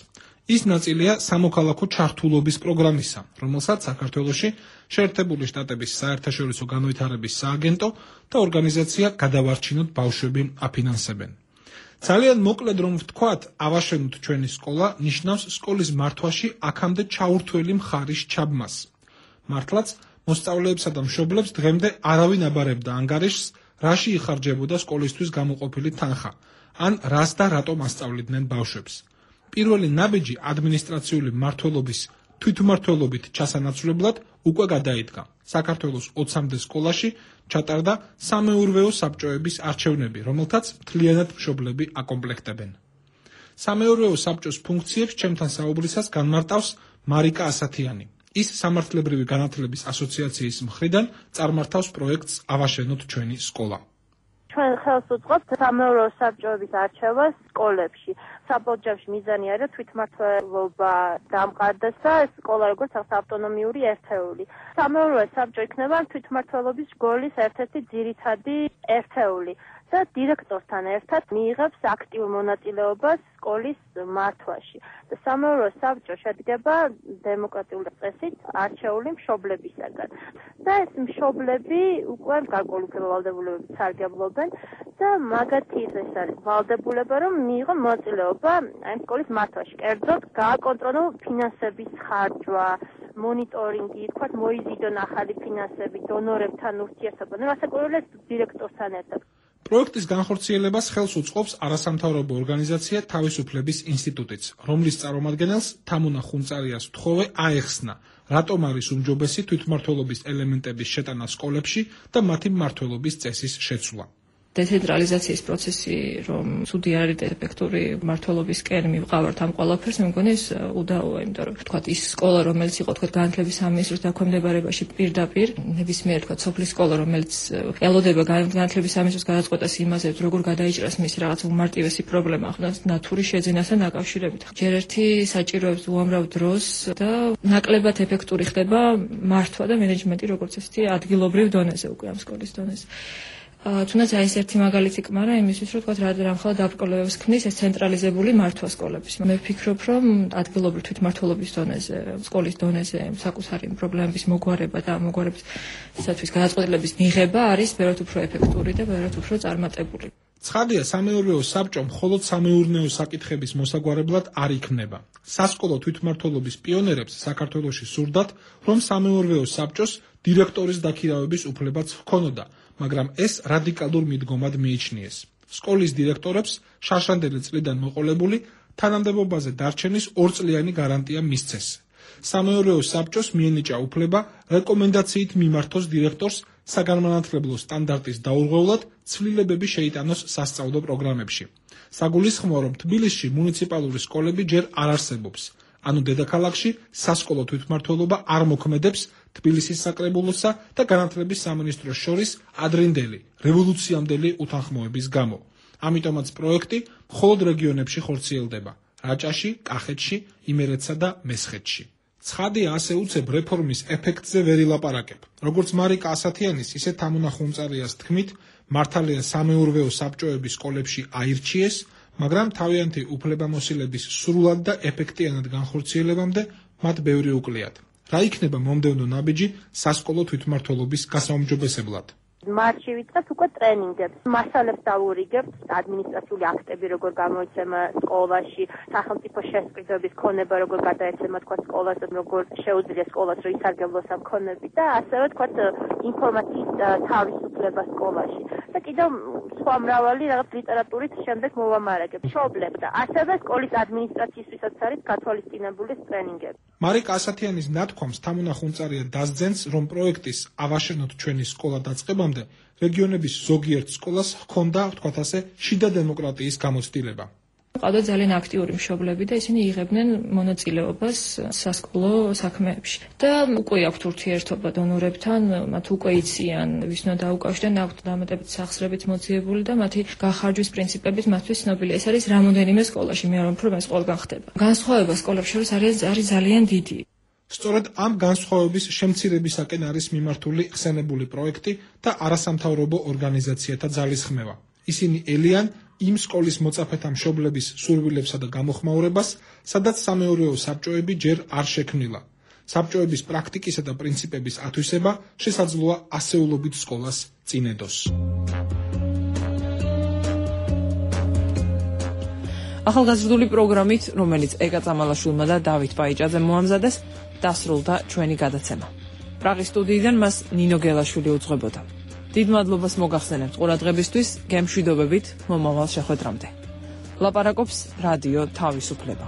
ის ნაწილია სამოქალაქო ჩართულობის პროგრამისა, რომელსაც საქართველოში შეერთებული შტატების საერთაშორისო განვითარების სააგენტო და ორგანიზაცია „გადავარჩინოთ ბავშვები“ აფინანსებენ. ძალიან მოკლედ რომ ვთქვათ, ავაშენოთ ჩვენი სკოლა ნიშნავს სკოლის მართვაში აქამდე ჩაურთველი მხარის ჩაბმას. მართლაც მოსწავლეებსა და მშობლებს დღემდე არავინ აბარებდა ანგარიშს, რაში იხარჯებოდა სკოლისთვის გამოყოფილი თანხა, ან რას და რატომ ასწავლიდნენ ბავშვებს. პირველი ნაბიჯი ადმინისტრაციული მმართველობის თვითმმართველობით ჩასანაცვლებლად უკვე გადაიდგა. საქართველოს 20-მდე სკოლაში ჩატარდა სამეურვეო საბჭოების არჩევნები, რომელთაც მთლიანად მშობლები აკომპლექტებენ. სამეურვეო საბჭოს ფუნქციებს ჩემთან საუბრისას განმარტავს მარიკა ასათიანი. ის სამართლებრივი განათლების ასოციაციის მხრიდან წარმართავს პროექტს ავაშენოთ ჩვენი სკოლა. ჩვენ ხელს უწყობთ სამეურვეო საბჭოების არჩევას სკოლებში. საბოჯებში მიზანი არის თვითმმართველობა დამყარდეს და სკოლა როგორც ავტონომიური ერთეული. სამეურვეო საბჭო იქნება თვითმმართველობის სკოლის ერთ-ერთი ძირითადი ერთეული და დირექტორთან ერთად მიიღებს აქტიურ მონაწილეობას სკოლის მართვაში. და სამეურვეო საბჭო შედგება დემოკრატიული წესით არჩეული მშობლებისაგან. და ეს მშობლები უკვე გარკვეული ვალდებულებებით სარგებლობენ და მაგათი ეს არის ვალდებულება, რომ მიიღონ მონაწილეობა ამ სკოლის მართვაში. კერძოდ გააკონტროლონ ფინანსების ხარჯვა, მონიტორინგი, თქვათ მოიზიდონ ახალი ფინანსები, დონორებთან ურთიერთობა. ნუ ასაკურველეს დირექტორთან ერთად. პროექტის განხორციელებას ხელს უწყობს არასამთავრობო ორგანიზაცია თავისუფლების ინსტიტუტიც, რომლის წარმომადგენელს თამუნა ხუნწარიას ვთხოვე აეხსნა, რატომ არის უმჯობესი თვითმმართველობის ელემენტების შეტანა სკოლებში და მათი მმართველობის წესის შეცვლა. დეცენტრალიზაციის პროცესი, რომ ცუდი არის ეფექტური მმართველობისკენ მივყავართ ამ ყველაფერს, მე მგონი ეს უდაოა, იმიტომ რომ თქვათ ის სკოლა, რომელიც იყო თქვათ განათლების სამინისტროს დაქვემდებარებაში პირდაპირ, ნებისმიერ თქვათ სოფლის სკოლა, რომელიც ელოდება განათლების სამინისტროს გადაწყვეტას იმაზე, როგორ გადაიჭრას მისი რაღაც უმარტივესი პრობლემა, ხო, ნათური შეძენასთან დაკავშირებით. ჯერ ერთი საჭიროებს უამრავ დროს და ნაკლებად ეფექტური ხდება მართვა და მენეჯმენტი როგორც ესეთი ადგილობრივ დონეზე უკვე ამ სკოლის დონეზე. თუნდაც აი ეს ერთი მაგალითი კმარა იმისთვის, რომ თქვათ რამხელა დაბრკოლებებს ქმნის ეს ცენტრალიზებული მართვა სკოლების. მე ვფიქრობ, რომ ადგილობრივ თვითმმართველობის დონეზე, სკოლის დონეზე საკუთარი პრობლემების მოგვარება და მოგვარებისათვის გადაწყვეტილების მიღება არის ბევრად უფრო ეფექტური და ბევრად უფრო წარმატებული. ცხადია, სამეურვეო საბჭო მხოლოდ სამეურნეო საკითხების მოსაგვარებლად არ იქმნება. სასკოლო თვითმმართველობის პიონერებს საქართველოში სურდათ, რომ სამეურვეო საბჭოს დირექტორის დაქირავების უფლებაც ჰქონოდა, მაგრამ ეს რადიკალურ მიდგომად მიიჩნიეს. სკოლის დირექტორებს შარშანდელი წლიდან მოყოლებული თანამდებობაზე დარჩენის 2 წლიანი გარანტია მისცეს. სამეურვეო საბჭოს მიენიჭა უფლება რეკომენდაციით მიმართოს დირექტორს საგანმანათლებლო სტანდარტის დაურღვევლად ცვლილებები შეიტანოს სასწავლო პროგრამებში. საგულისხმოა, რომ თბილისში მუნიციპალური სკოლები ჯერ არ არსებობს. ანუ დედაქალაქში სასკოლო თვითმმართველობა არ მოქმედებს თბილისის საკრებულოსა და განათლების სამინისტროს შორის ადრინდელი, რევოლუციამდელი უთანხმოების გამო. ამიტომაც პროექტი მხოლოდ რეგიონებში ხორციელდება: რაჭაში, კახეთში, იმერეთსა და მესხეთში. ცხადია, ასე უცებ რეფორმის ეფექტზე ვერ ილაპარაკებ. როგორც მარიკა ასათიანის, ისე თამუნა ხუნწარიას თქმით, მართალია სამეურვეო საბჭოების სკოლებში აირჩიეს, მაგრამ თავიანთი უფლებამოსილების სრულად და ეფექტიანად განხორციელებამდე მათ ბევრი უკლიათ. რა იქნება მომდევნო ნაბიჯი სასკოლო თვითმმართველობის გასაუმჯობესებლად? მარტში ვიწყებთ უკვე ტრენინგებს, მასალებს დავურიგებთ, ადმინისტრაციული აქტები როგორ გამოიცემა სკოლაში, სახელმწიფო შესყიდვების ქონება როგორ გადაეცემა თქვა სკოლას, როგორ შეუძლია სკოლას რომ ისარგებლოს ამ ქონებით და ასევე თქვა ინფორმაციის თავისუფლება სკოლაში. და კიდევ სხვა მრავალი რაღაც ლიტერატურით შემდეგ მოვამარაგებ. მშობლებს და ასევე სკოლის ადმინისტრაციისთვისაც არის გათვალისწინებული ტრენინგები. მარიკა ასათიანის ნათქვამს თამუნა ხუნწარია დასძენს, რომ პროექტის ავაშენოთ ჩვენი სკოლა დაწყებამდე რეგიონების ზოგიერთ სკოლას ჰქონდა, ვთქვათ ასე, შიდა დემოკრატიის გამოცდილება. ყავდა ძალიან აქტიური მშობლები და ისინი იღებდნენ მონაწილეობას სასკოლო საქმეებში. და უკვე აქვთ ურთიერთობა დონორებთან, მათ უკვე იციან, ვის უნდა დაუკავშირდნენ, აქვთ დამატებით სახსრებით მოძიებული და მათი გახარჯვის პრინციპების მათთვის ცნობილი. ეს არის რამოდენიმე სკოლაში, მე არ ვამბობ, ეს ყველგან ხდება. განსხვავება სკოლებს შორის არის ძალიან დიდი. სწორედ ამ განსხვავების შემცირებისაკენ არის მიმართული ხსენებული პროექტი და არასამთავრობო ორგანიზაციათა ძალისხმევა. ისინი ელიან იმ სკოლის მოწაფეთა მშობლების სურვილებსა და გამოხმაურებას, სადაც სამეურვეო საბჭოები ჯერ არ შექმნილა. საბჭოების პრაქტიკისა და პრინციპების ათვისება შესაძლოა ასეულობით სკოლას წინ ედოს. ახალგაზრდული პროგრამით, რომელიც ეკა წამალაშვილმა და დავით პაიჭაძემ მოამზადეს, დასრულდა ჩვენი გადაცემა. პრაღის სტუდიიდან მას ნინო გელაშვილი უძღვებოდა. დიდ მადლობას მოგახსენებთ ყურადღებისთვის, გემშვიდობებით მომავალ შეხვედრამდე. ლაპარაკობს რადიო თავისუფლება.